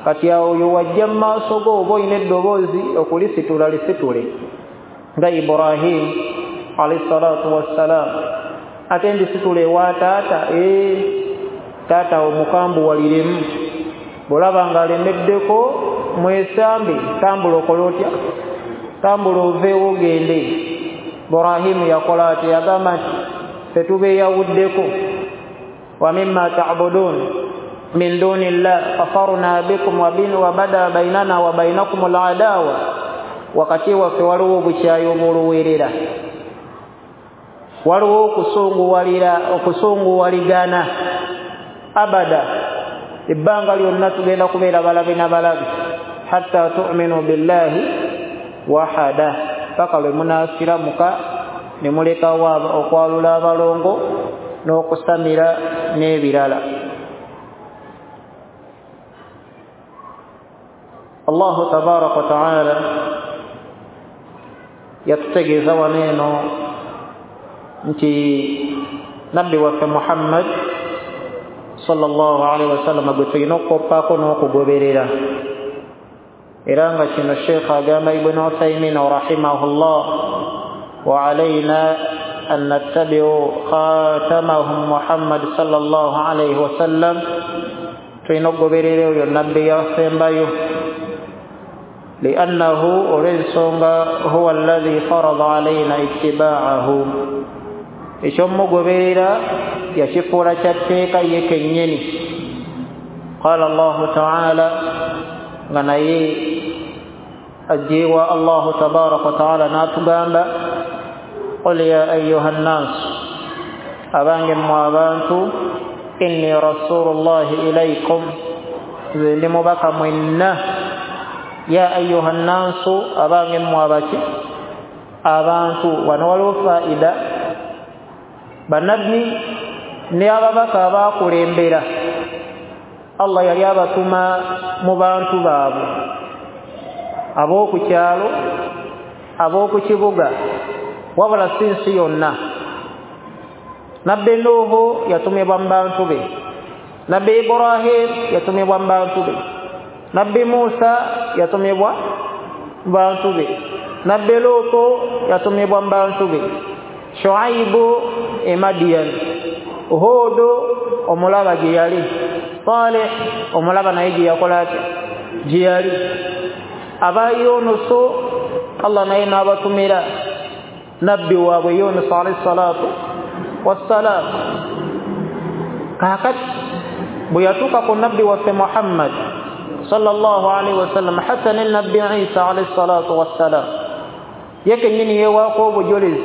Kati awo oyo wajja mu maaso go oba olina eddoboozi okulisitula, lisitule nga Ibrahim alayhi salatu wassalam. Ate ndisitula ewa taata, ee taata omukambuwaliremu. Bw'olaba ng'alemeddeko mwesambe, tambula okole otya? Tambula oveewo ogende. Ibrahimu yakola atya? Yagamba nti ffe tubeeyawuddeko, wa mimma ta'budun min duni llah kafarna bikum wa bada bainana wa bainakum al-adawa. Wakati waffe waliwo obukyayi obw'oluweerera, waliwo okusunguwalira, okusunguwaligana abada. Ebbanga lyonna tugenda kubeera balabe na balabe, hatta tu'minu billahi wahada, paka lwe munaasiramuka ne mulekawo okwalula abalongo n'okusamira n'ebirala. Allahu tabaraka wa taala yatutegeeza wano eno nti nabbi waffe Muhammad sallallahu alaihi wasallam gwe tulina okukoppaako n'okugoberera. Era nga kino Sheikh agamba Ibn Uthaymin rahimahullah, wa alayna an nattabi'u khatamahum Muhammad sallallahu alaihi wasallam. Tulina okugoberera oyo nabbi yasembayo, liannahu, olw'ensonga huwa alladhi farada alayna ittiba'ahu, ekyomugoberera yakifuula kya tteeka ye kennyini. Qala Allahu ta'ala, nga naye ajjeewa Allahu tabaraka wa ta'ala n'atugamba, qul ya ayyuha nnaas, abange mmwe abantu, inni rasulullahi ilaykum, nze ndi mubaka mwenna. Ya ayyuha nnaasu, abange mmwe abaki abantu. Wano waliwo faida, bannabbi ne ababaka abaakulembera Allah yali abatuma mu bantu baabwe, ab'oku kyalo, ab'oku kibuga, wabula si nsi yonna. Nabbi Nuhu yatumibwa mu bantu be, Nabbi Ibrahim yatumibwa mu bantu be, Nabbi Musa yatumibwa mu bantu be, Nabbi Lutu yatumibwa mu bantu be, Shuaibu e Madian, Hudu omulaba gye yali, Saleh omulaba naye gye yakola atya, gye yali. Aba Yunusu Allah naye n'abatumira nabbi waabwe Yunus alayhi salatu wassalam. Kaakati bwe yatuuka ku nabbi waffe Muhammad sallallahu alaihi wasallam, hatta ne nabbi Isa alayhi salatu wassalam, ye kennyini yeewaako obujulizi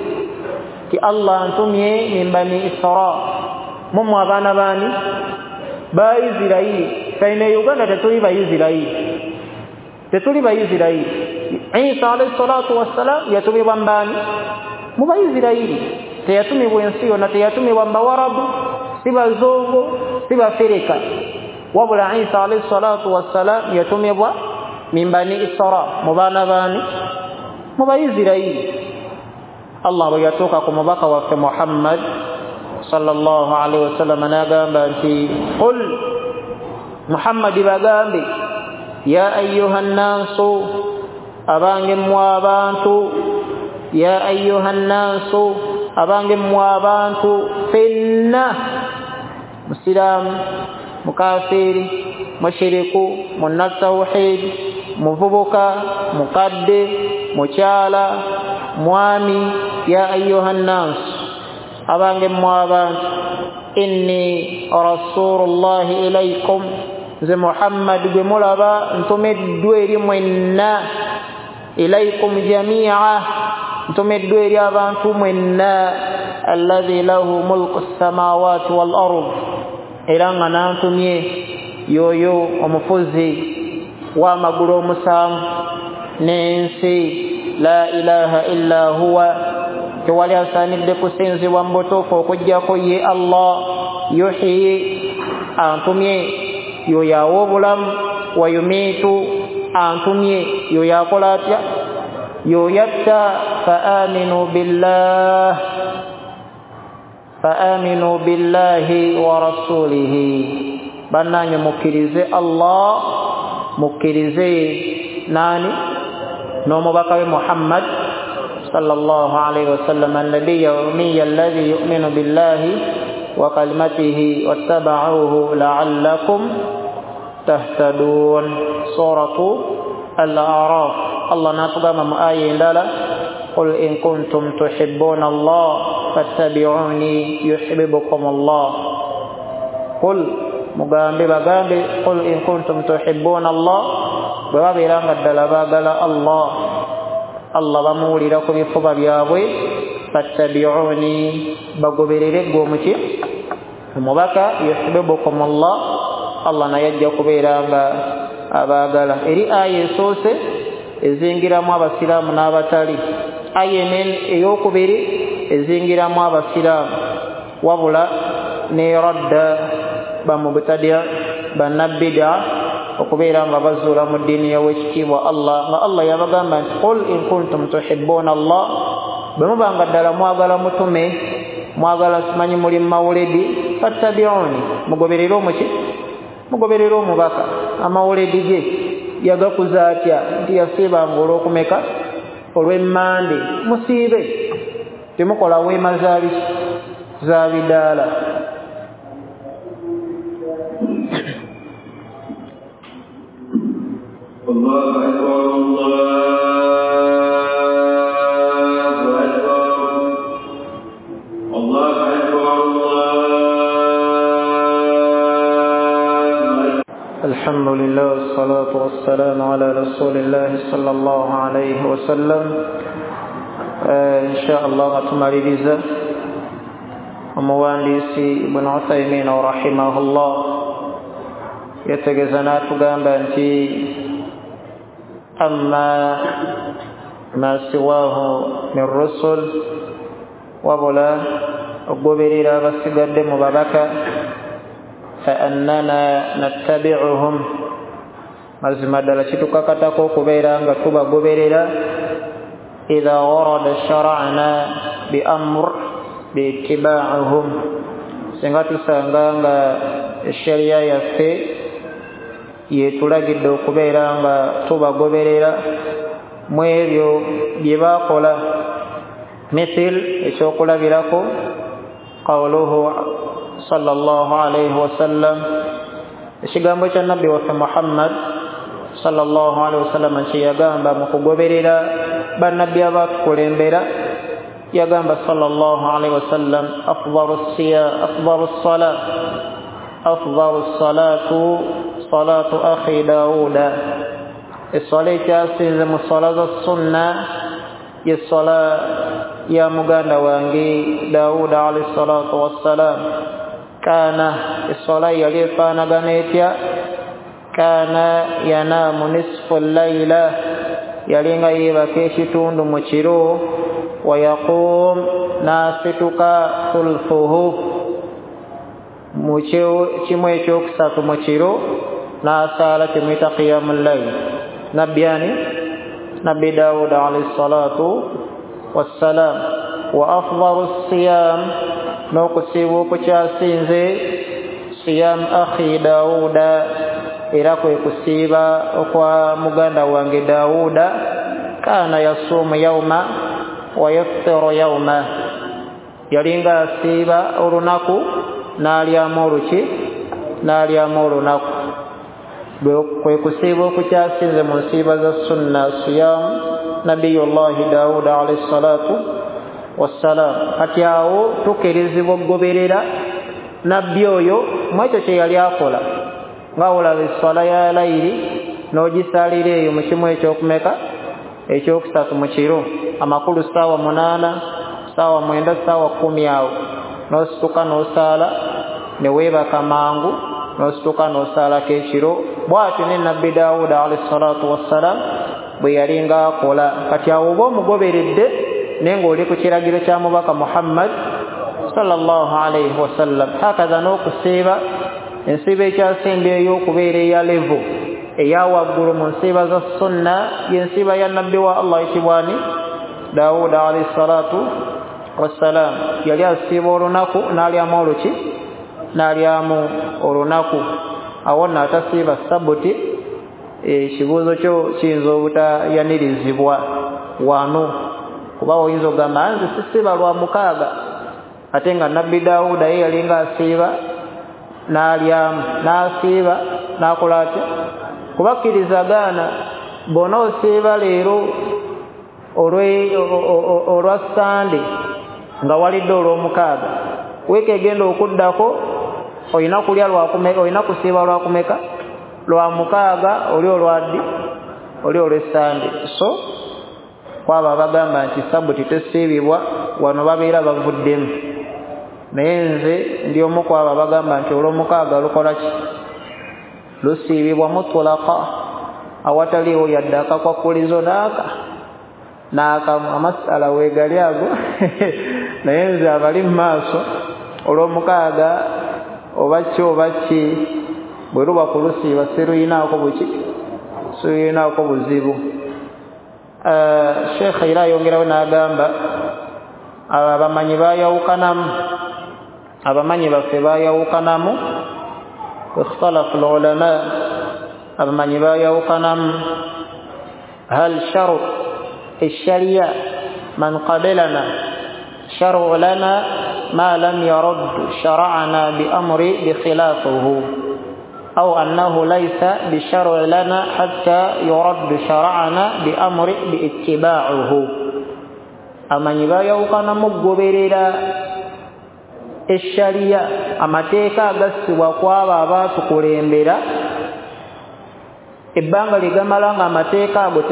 ti Allah antumye min bani Isra, mummwe abaana baani ba Isirayiri. Ffe e Uganda tetuli ba Isirayiri, tetuli ba Isirayiri. Isa alayhi salatu wassalam yatumibwa mbaani? Mu Baisirayiri. Teyatumibwa ensi yonna, teyatumibwa mu Bawarabu, si bazungu, si bafirika, wabula Isa alayhi salatu wassalam yatumibwa min bani Isra, mu baana baani, mu Baisirairi. Allah bwe yatuuka ku mubaka waffe Muhammad sallallahu alaihi wasallam n'agamba nti qul Muhammad, bagambe ya ayyuha nnaasu, abange mmwe abantu, ya ayyuha nnaasu, abange mmwe abantu fenna, musiraamu, mukafiri, mushiriku, munnatawhid, muvubuka, mukadde, mukyala, mwami, ya ayyuha nnaasu, abange mmwe abantu, inni rasulullahi ilaykum, nze Muhammad gwe mulaba ntumiddwa eri mwenna, ilaykum jami'a, ntumiddwa eri abantu mwenna, alladhi lahu mulku samawati wal ard, era nga nantumye yoyo omufuzi w'amagulu omusanvu n'ensi, la ilaha illa huwa, tewali asaanidde kusinzibwa mu butuufu okuggyako ye Allah, yuhyi, antumye yoyo awa obulamu, wa yumiitu, antumye yoyo akola atya, yoyo atta, fa aminu billah, fa aminu billahi wa rasulihi, bannange mukkirize Allah, mukkirize nani, n'omubaka we Muhammad sallallahu alayhi wasallam, annabiyya ummiya alladhi yu'minu billahi wa kalimatihi wattaba'uhu la'allakum tahtadun. Suratu Al-A'raf. Allah n'atugamba mu aya endala, qul in kuntum tuhibbuna Allah fattabi'uni yuhibbukum Allah. Qul, mugambe, bagambe, qul in kuntum tuhibbuna Allah, bwe babeera nga ddala baagala Allah, Allah bamuwulira ku bifuba byabwe, fattabi'uni, bagoberere ggwe omuki, omubaka, yuhibbukum Allah, Allah naye ajja kubeera nga abaagala. Eri aya esoose ezingiramu abasiraamu n'abatali, aya ey'okubiri ezingiramu abasiraamu, wabula ne radda bamubtadi' bannabida okubeera nga bazuula mu ddiini y'owekitiibwa Allah, nga Allah yabagamba nti qul in kuntum tuhibbuna Allah, bwe muba nga ddala mwagala mutume, mwagala simanyi muli mawuledi, fattabi'uni, mugoberere omuki, mugoberere omubaka. Amawuledi ge yagakuza atya? Nti yasiibanga olw'okumeka, olw'emmande, musiibe, temukola weema za bidaala. الله أكبر الله أكبر الله أكبر الله. الحمد لله والصلاة والسلام على رسول الله صلى الله عليه وسلم. إن شاء الله tumaliriza omuwandiisi Ibn Uthaymin rahimahullah yategeeza n'atugamba nti amma ma siwahu min rusul, wabula okugoberera abasigadde mu babaka, fa annana nattabi'uhum, mazima ddala kitukakatako okubeera nga tubagoberera, idha warada shara'na bi amr biittiba'uhum, singa tusanga nga esheria yaffe yetulagidde okubeera nga tubagoberera mu ebyo bye baakola. Mithil, ekyokulabirako, qawluhu sallallahu alayhi wasallam, ekigambo kya nabbi waffe Muhammad sallallahu alayhi wasallam kye yagamba mu kugoberera bannabbi abatukulembera, yagamba sallallahu alayhi wasallam, afdalu siya afdalu sala afdalu salatu salatu akhi Dauda, esswala ekyasinze mu swala za sunna ye swala ya muganda wange Dauda alayhi salatu wassalam. Kana, esswala yali efaanagana etya? Kana yanamu nisfu layla, yalinga yeebaka ekitundu mu kiro, wa yaqum, n'asituka thulthuhu, mu kimu ekyokusatu mu kiro n'asaala kyemuyita qiyamul layl. Nabbi ani? Nabbi Dawuda alayhi salatu wassalam. Wa afdalu siyam, n'okusiiba okukyasinze siyam akhi Dawuda, era kwe kusiiba okwa muganda wange Dawuda. Kana yasumu yawma wa yaftiru yawma, yalinga asiiba olunaku n'alyamu oluki n'alyamu olunaku. Kwe kusiiba okukyasinze mu nsiiba za sunna siyam nabiyullahi Dawuda alayhi salatu wassalam. Kati awo tukkirizibwa okugoberera nabbi oyo mu ekyo kye yali akola, nga olaba esswala ya layiri n'ogisaalira eyo mu kimu ekyokumeka ekyokusatu mu kiro, amakulu ssaawa munaana, ssaawa mwenda, ssaawa kkumi awo n'osituka n'osaala ne weebaka mangu n'osituka n'osaalako ekiro. Bw'atyo ne nabbi Dawuda alayhi salatu wassalam bwe yalinga akola. Kati awo oba omugoberedde naye ng'oli ku kiragiro kya mubaka Muhammad sallallahu alayhi wasallam. Hakaza n'okusiiba, ensiiba ekyasembyeyo okubeera eya levo eya waggulu mu nsiiba za sunna y'ensiiba ya nabbi wa Allah ayitibwa ani? Dawuda alayhi salatu wassalam. Yali asiiba olunaku n'alyamu oluki n'alyamu olunaku. Awo nno atasiiba sabuti, ekibuuzo kyo kiyinza obutayanirizibwa wano, kuba oyinza okugamba nze sisiiba lwa mukaaga, ate nga nabbi Dawuda ye yalinga asiiba n'alyamu n'asiiba n'akola atya? Kubakkiriza gaana bw'ona osiiba leero olwa Sande nga walidde olw'omukaaga, wiiki egenda okuddako olina kulya lwakumeka, olina kusiiba lwakumeka lwa mukaaga, oli olwaddi oli olw'Essande. So kwabo abagamba nti sabuti tesiibibwa wano babeera bavuddemu, naye nze ndi omu kwabo abagamba nti olw'omukaaga lukola ki? Lusiibibwa mutulaka, awataliiwo yadde akakwakulizo n'aka n'akamu. Amasala weegali ago naye nze abali mu maaso olw'omukaaga oba ki oba ki bwe luba ku lusiiba siruyinaako buki siruyinaako buzibu. Sheikh era ayongerawo n'agamba abamanyi baayawukanamu, abamanyi baffe baayawukanamu, ikhtalafu al-ulama, abamanyi baayawukanamu hal sharu الشريعة من قبلنا شرع لنا ما لم يرد شرعنا بأمر بخلافه، أو أنه ليس بشرع لنا حتى يرد شرعنا بأمر باتباعه. Amanyi baayawukana mu kugoberera eshariya, amateeka agassibwa kwabo abaatukulembera ebbanga ligamala nga amateeka ago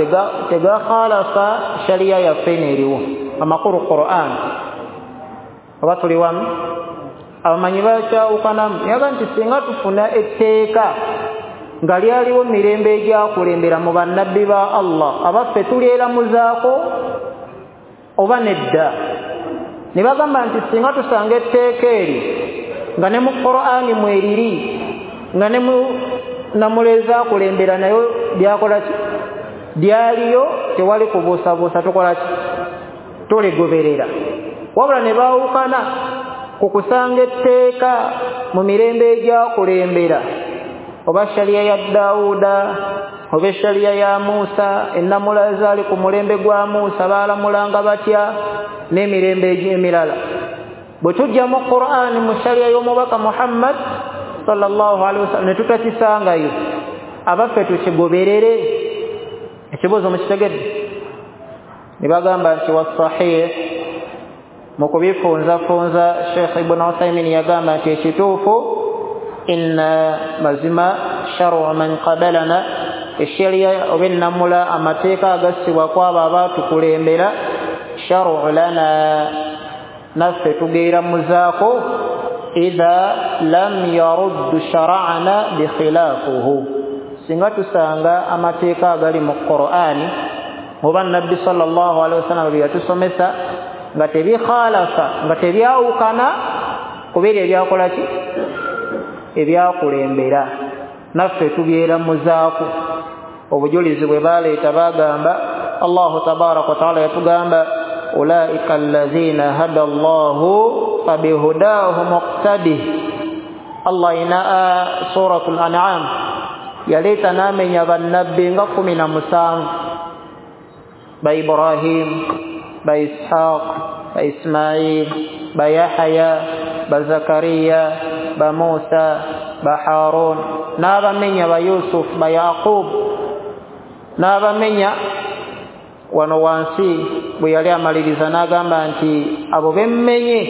tegakhalafa shariya yaffe n'eriwo, amakulu Qur'an. Oba tuli wamu? Abamanyi bakyawukanamu yaga nti singa tufuna etteeka nga lyaliwo mirembe egyakulembera mu bannabbi ba Allah, abaffe tulyeramuzaako oba nedda? Ne bagamba nti singa tusanga etteeka eri nga ne mu Qur'ani mweriri nga ne mu namuleza akulembera nayo lyakola ki lyaliyo, tewali kubuusabuusa, tukola ki tuligoberera. Wabula ne baawukana ku kusanga etteeka mu mirembe egyakulembera, oba shariya ya Dawuda oba eshariya ya Musa, ennamula ezaali ku mulembe gwa Musa baalamulanga batya n'emirembe emirala. Bwe tujja mu Qur'ani mu shariya y'omubaka Muhammad sallallahu alaihi wasallam ne tutakisangayo, abaffe tukigoberere? Ekibuuzo mukitegedde? Ne bagamba nti wasahih, mu kubifunzafunza Sheikh Ibn Uthaymin yagamba nti ekituufu inna mazima sharu man qabalana, eshariya oba ennamula amateeka agassibwa kwabo abaatukulembera, sharu lana, naffe tugeeramuzaako idha lam yaruddu shara'ana bikhilafuhu, singa tusanga amateeka agali mu Qur'ani oba nabbi sallallahu alaihi wasallam bye yatusomesa nga tebikhalafa, nga tebyawukana ku biri ebyakola ki Ebyakulembera naffe tubyeramuzaako. Obujulizi bwe baleeta bagamba Allahu tabaraka wa taala yatugamba ulaika allazina hada Allahu fabihudahu muqtadi. Allah ina suratul An'am yaleeta n'amenya bannabbi nga kumi na musanvu, ba Ibrahim, ba Ishaq, ba Ismail, ba Yahya, ba Zakariya, ba Musa, ba Harun, n'abamenya ba Yusuf, ba Yaqub, n'abamenya wano wansi bwe yali amaliriza n'agamba nti abo bemmenye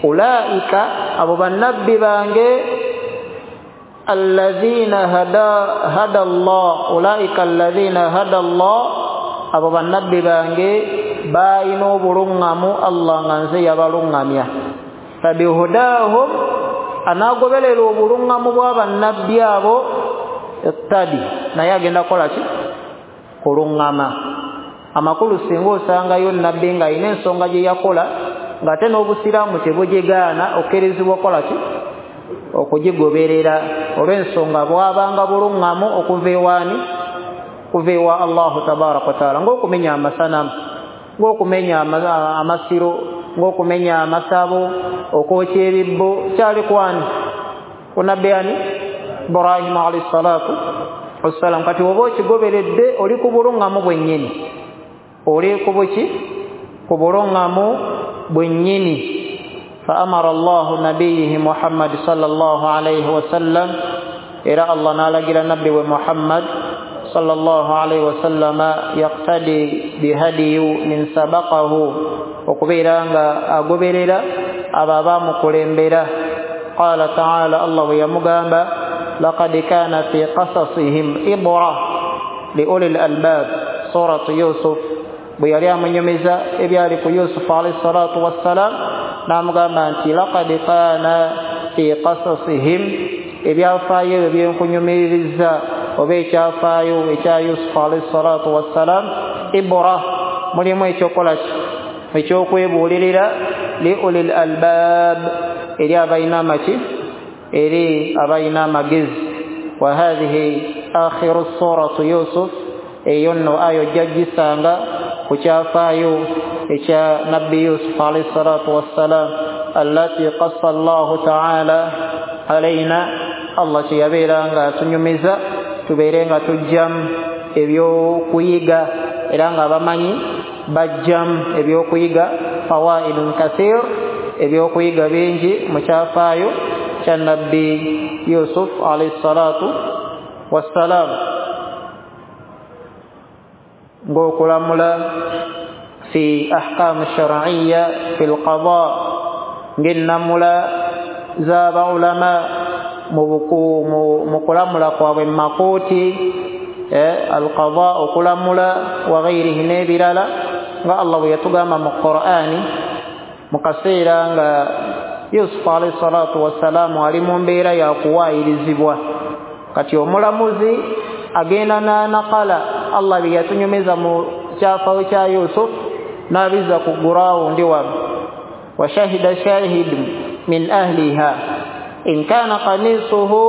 ulaika, abo bannabbi bange allazina hada hada Allah, ulaika allazina hada Allah, abo bannabbi bange balina obuluŋŋamu Allah nga nze yabaluŋŋamya. Fabihudahum, anaagoberera obuluŋŋamu bwa bannabbi abo iqtadi, naye agenda kukola ki? Kuluŋŋama. Amakulu singa osangayo nabbi ng'alina ensonga gye yakola ng'ate n'obusiraamu tebugigaana, okkirizibwa okukola ki? Okugigoberera olw'ensonga bwabanga buluŋŋamu okuva ewaani? Okuva ewa Allahu tabaraka wa taala, ng'okumenya amasanamu, ng'okumenya amasiro, ng'okumenya amasabo, okwokya ebibbo, kyali kwani? Ku nabbi ani? Ibrahimu alayhi salatu wassalam. Kati oba okigoberedde oli ku buluŋŋamu bwennyini, oli ku buki? Ku buluŋŋamu bwennyini. Fa amara Allahu nabiyihi Muhammad sallallahu alayhi wasallam, era Allah n'alagira nabbi we Muhammad sallallahu alayhi wasallama yaqtadi bihadiyu min sabaqahu, okubeera nga agoberera abo abamukulembera. Qala ta'ala, Allah bwe yamugamba laqad kana fi qasasihim ibra li ulil albab, suratu Yusuf, bwe yali amunyumiza ebyali ku Yusuf alayhi salatu wassalam, n'amugamba nti laqad kana fi qasasihim, ebyafaayo ebyo byenkunyumiriza oba ekyafaayo ekya Yusuf alayhi salatu wassalam, ibra, mulimu ekyokukola ki? Ekyokwebuulirira, li ulil albab, eri abalina amaki? Eri abalina amagezi. Wa hadhihi akhiru suratu Yusuf, eyo nno ayo ojja gisanga ku kyafaayo ekya nabbi Yusuf alayhi salatu wassalam, allati qassa Allahu ta'ala alaina, Allah kye yabeera nga atunyumiza tubeere nga tujjamu ebyokuyiga, era nga abamanyi bajjamu ebyokuyiga, fawaidun kathir, ebyokuyiga bingi mu kyafaayo kya nabbi Yusuf alayhi salatu wassalam, ng'okulamula fi ahkamu shar'iyya fi lqada, ng'ennamula z'abaulama mu kulamula kwabwe mu makooti, alqada, okulamula, wa ghairihi, n'ebirala, nga Allah bwe yatugamba mu Qur'ani mu kaseera nga Yusuf alayhi salatu wassalamu ali mu mbeera ya kuwaayirizibwa. Kati omulamuzi agenda n'anakala Allah bye yatunyumiza mu kyafaayo kya Yusuf n'abizza ku gurawundi wano. Wa shahida shahid min ahliha in kana qamisuhu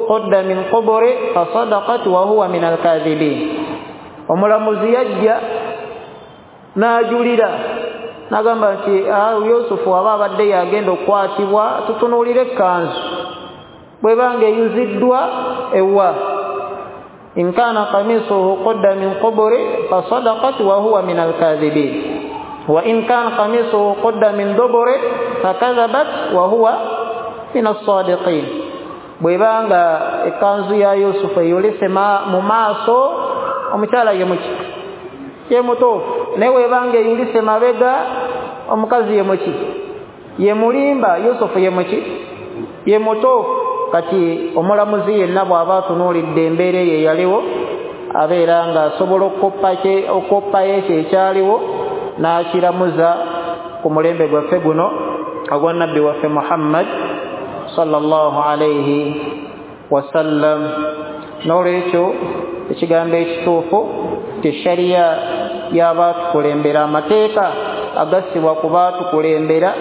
qudda min quburi fasadaqat wa huwa min alkadhibin. Omulamuzi yajja n'ajulira n'agamba nti Yusufu aba abadde yagenda okukwatibwa, tutunuulire ekkanzu bwebanga eyuziddwa ewa. In kana qamisuhu qudda min quburi fasadaqat wa huwa min alkadhibin, wa in kana qamisuhu qudda min duburi fakadhabat wa huwa min as-sadiqin. Bwebanga ekkanzu ya Yusufu eyolese mu maaso, omukyala ye muki? Ye mutuufu. Naye bwebanga eyulise mabega, omukazi ye muki? Ye mulimba. Yusufu ye muki? Ye mutuufu. Kati omulamuzi yenna bw'aba atunuulidde embeera eyo eyaliwo, abeera ng'asobola okukoppayo ekyo ekyaliwo n'akiramuza ku mulembe gwaffe guno ogwa nabbi waffe Muhammad sallallahu alayhi wasallam. N'olwekyo ekigambo ekituufu ti shariya y'abaatukulembera, amateeka agassibwa ku baatukulembera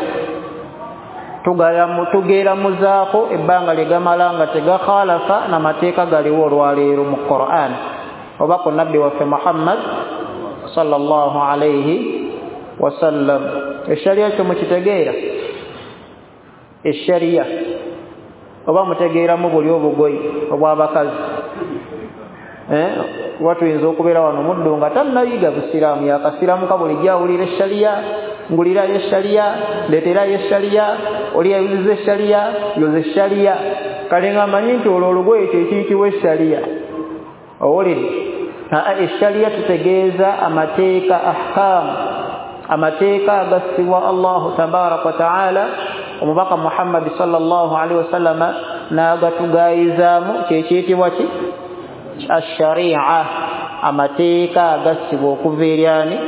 Tugeramuzaako ebbanga lye gamala nga tegakhalafa n'amateeka galiwo olwaleero mu Qur'an oba ku nabbi waffe Muhammad sallallahu alayhi wasallam. Esharia kyo mukitegeera? Esharia oba mutegeeramu buli obugoyi obw'abakazi? Eh, watuyinza okubeera wano muddu nga tannayiga busiraamu, yakasiramuka bulijjo awulira esharia, ngulirayo esharia, ndeeterayo esharia, oli ayuziza esharia, yoza esharia. Kale nga amanyi nti olwo olugoye kyekiyitibwa esharia. Owulidde? Esharia tutegeeza amateeka, ahkaamu, amateeka agassibwa Allahu tabaraka wa taala omubaka Muhammad sallallahu alaihi wasallama n'agatugayizaamu, kyekiyitibwa ki? Asharia, amateeka agassibwa okuva eri ani?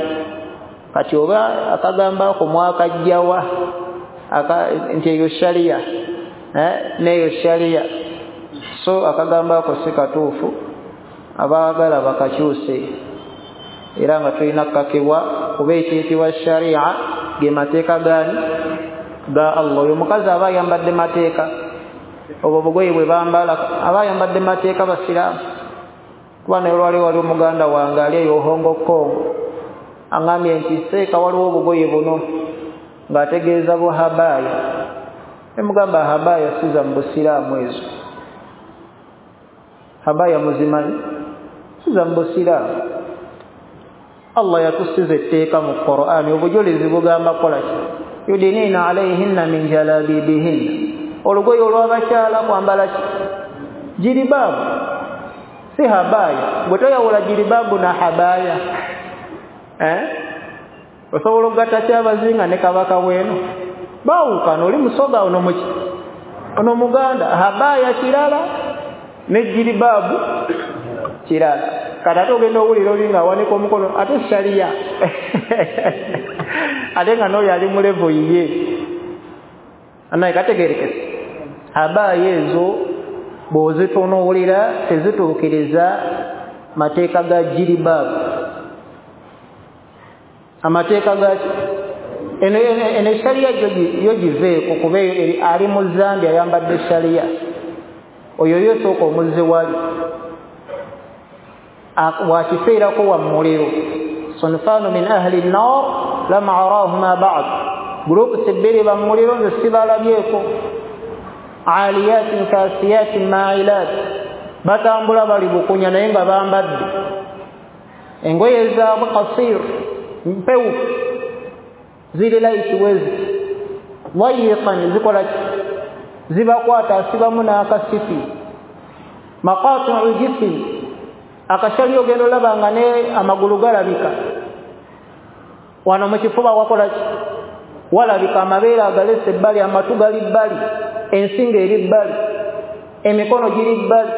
Kati oba akagamba ako mwakajjawa nti eyo sharia, eh, n'eyo sharia. So akagamba ako si katuufu, abaagala bakakyuse, era nga tulina kukakibwa kuba ekiyitibwa sharia ge mateeka gaani? Ga Allah. Oyo omukazi aba ayambadde mateeka, obwo obugoye bwe bambala aba ayambadde mateeka basiraamu. Kuba naye olwali wali omuganda wange ali eyo Hongo Kong aŋŋambye nti seeka waliwo obugoye buno, ng'ategeeza buhabaaya. Nemugamba habaaya siza mu busiraamu ezo. Habaaya muzimanyi? Siza mu busiraamu. Allah yatussiza etteeka mu Qur'ani, obujulizi bugamba kola ki? Yudiniina alayhinna min jalabibihinna. Olugoye olw'abakyala kwambala ki? Jiribaabu, si habaaya. Bwe toyawula jiribaabu na habaaya, eh? Osobola okugatta kyabazinga ne kabaka bweno baawukana, oli musoga ono muki ono muganda. Habaaya kirala ne jiribaabu kirala. Kati ate ogenda owulira oli ng'awanika omukono ate sharia ate nga n'oyo ali mu levo yiye. Anaye kategerekese, habaaya ezo bw'ozitunuulira tezituukiriza mateeka ga jiribaabu. Amateeka gaki? Eno eno sharia yo giveeko, kuba ali mu Zambia ayambadde sharia, oyo yo sooka omuzze wali wakiseerako wa muliro. Sunfanu min ahli nnar lam arahuma ba'd, groups bbiri ba muliro nze sibalabyeko. Aliyatin kasiyatin ma'ilat, batambula bali bukunya naye nga bambadde engoye zaabwe kasir, mpewu, ziri light wezi dayiqan, zikola zibakwata, asibamu n'akasipi. Maqati'u jism, akashali ogenda olaba nga ne amagulu galabika, wano mu kifuba wakola ki? Walabika, amabeere agalese ebbali, amatu gali bbali, ensingo eri bbali, emikono giri bbali.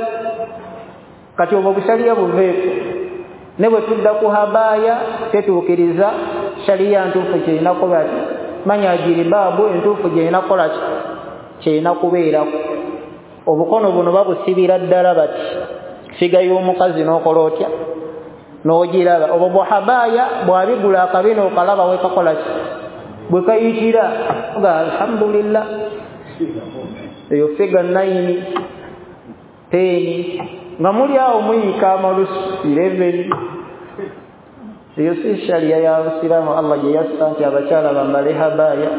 Kati obwo bushaliya buveeko. Ne bwe tudda ku habaaya tetuukiriza shaliya ntuufu kyerina kuba ki? Manya jiribaabu entuufu gyerina kukola ki? Kyerina kubeerako. Obukono buno babusibira ddala bati, figa y'omukazi n'okola otya? N'ogiraba. Obwo buhabaaya bwabigula akabina okalaba wekakola ki? Bwe kayitira nga alhamdulillah, eyo figa nine, ten, nga muli awo muyiika amalusu eleven. Eyo si sharia ya busiraamu Allah gye yassa nti abakyala bambale habaaya,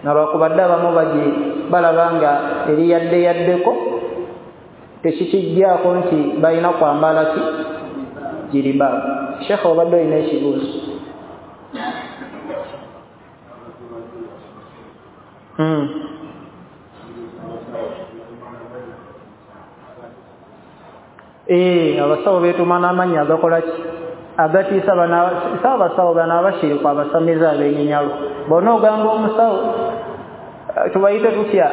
nga lwakubadde abamu bagi balaba nga eri yadde yaddeko, tekikijjaako nti balina kwambala ki? Jiribaabu. Sheekh obadde olina ekibuuzo? Mm. Eh, abasawo beetuma n'amannya agakola ki? Agatiisa. Saabasawo bano abashiriku abasamize ab'enyinyalo bonna ogamba omusawo tubayite tutya?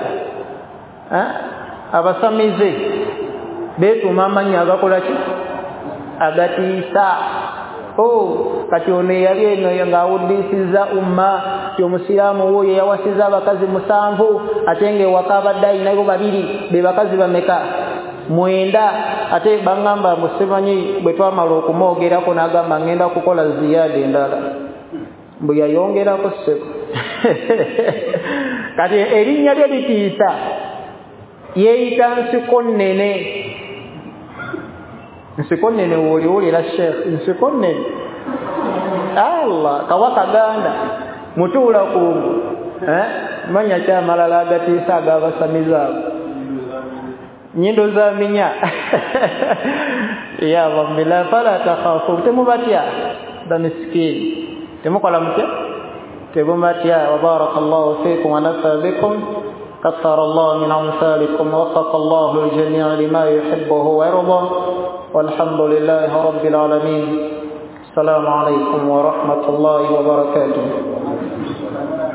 Abasamize beetuma amannya agakola ki? Agatiisa. Oh, kati ono eyali eno ng'awuddisiza umma ti omusiraamu wuuyo yawasiza abakazi musanvu, ate ng'ewaka abadde alinayo babiri, be bakazi bameka? Mwenda. Ate baŋŋamba musimanyi bwe twamala okumwogerako n'agamba ngenda kukola ziyaada endala, mbu yayongerako ssebo. Kati erinnya lye litiisa, yeeyita nsiko nnene. Nsiko nnene w'oliwulira Sheikh, nsiko nnene. Allah kabaka Ganda mutuula ku eh manya kyamalala agatiisa ag'abasamize abo nyindo za minya ya bambila fala takhafu, temubatya bamiskini, temukola mutya, temubatya. Wa barakallahu fikum wa nafa bikum, kathara Allah min amsalikum, waffaqa Allahu al-jami'a lima yuhibbuhu wa yarda, walhamdulillahi rabbil alamin. Assalamu alaykum wa rahmatullahi wa barakatuh.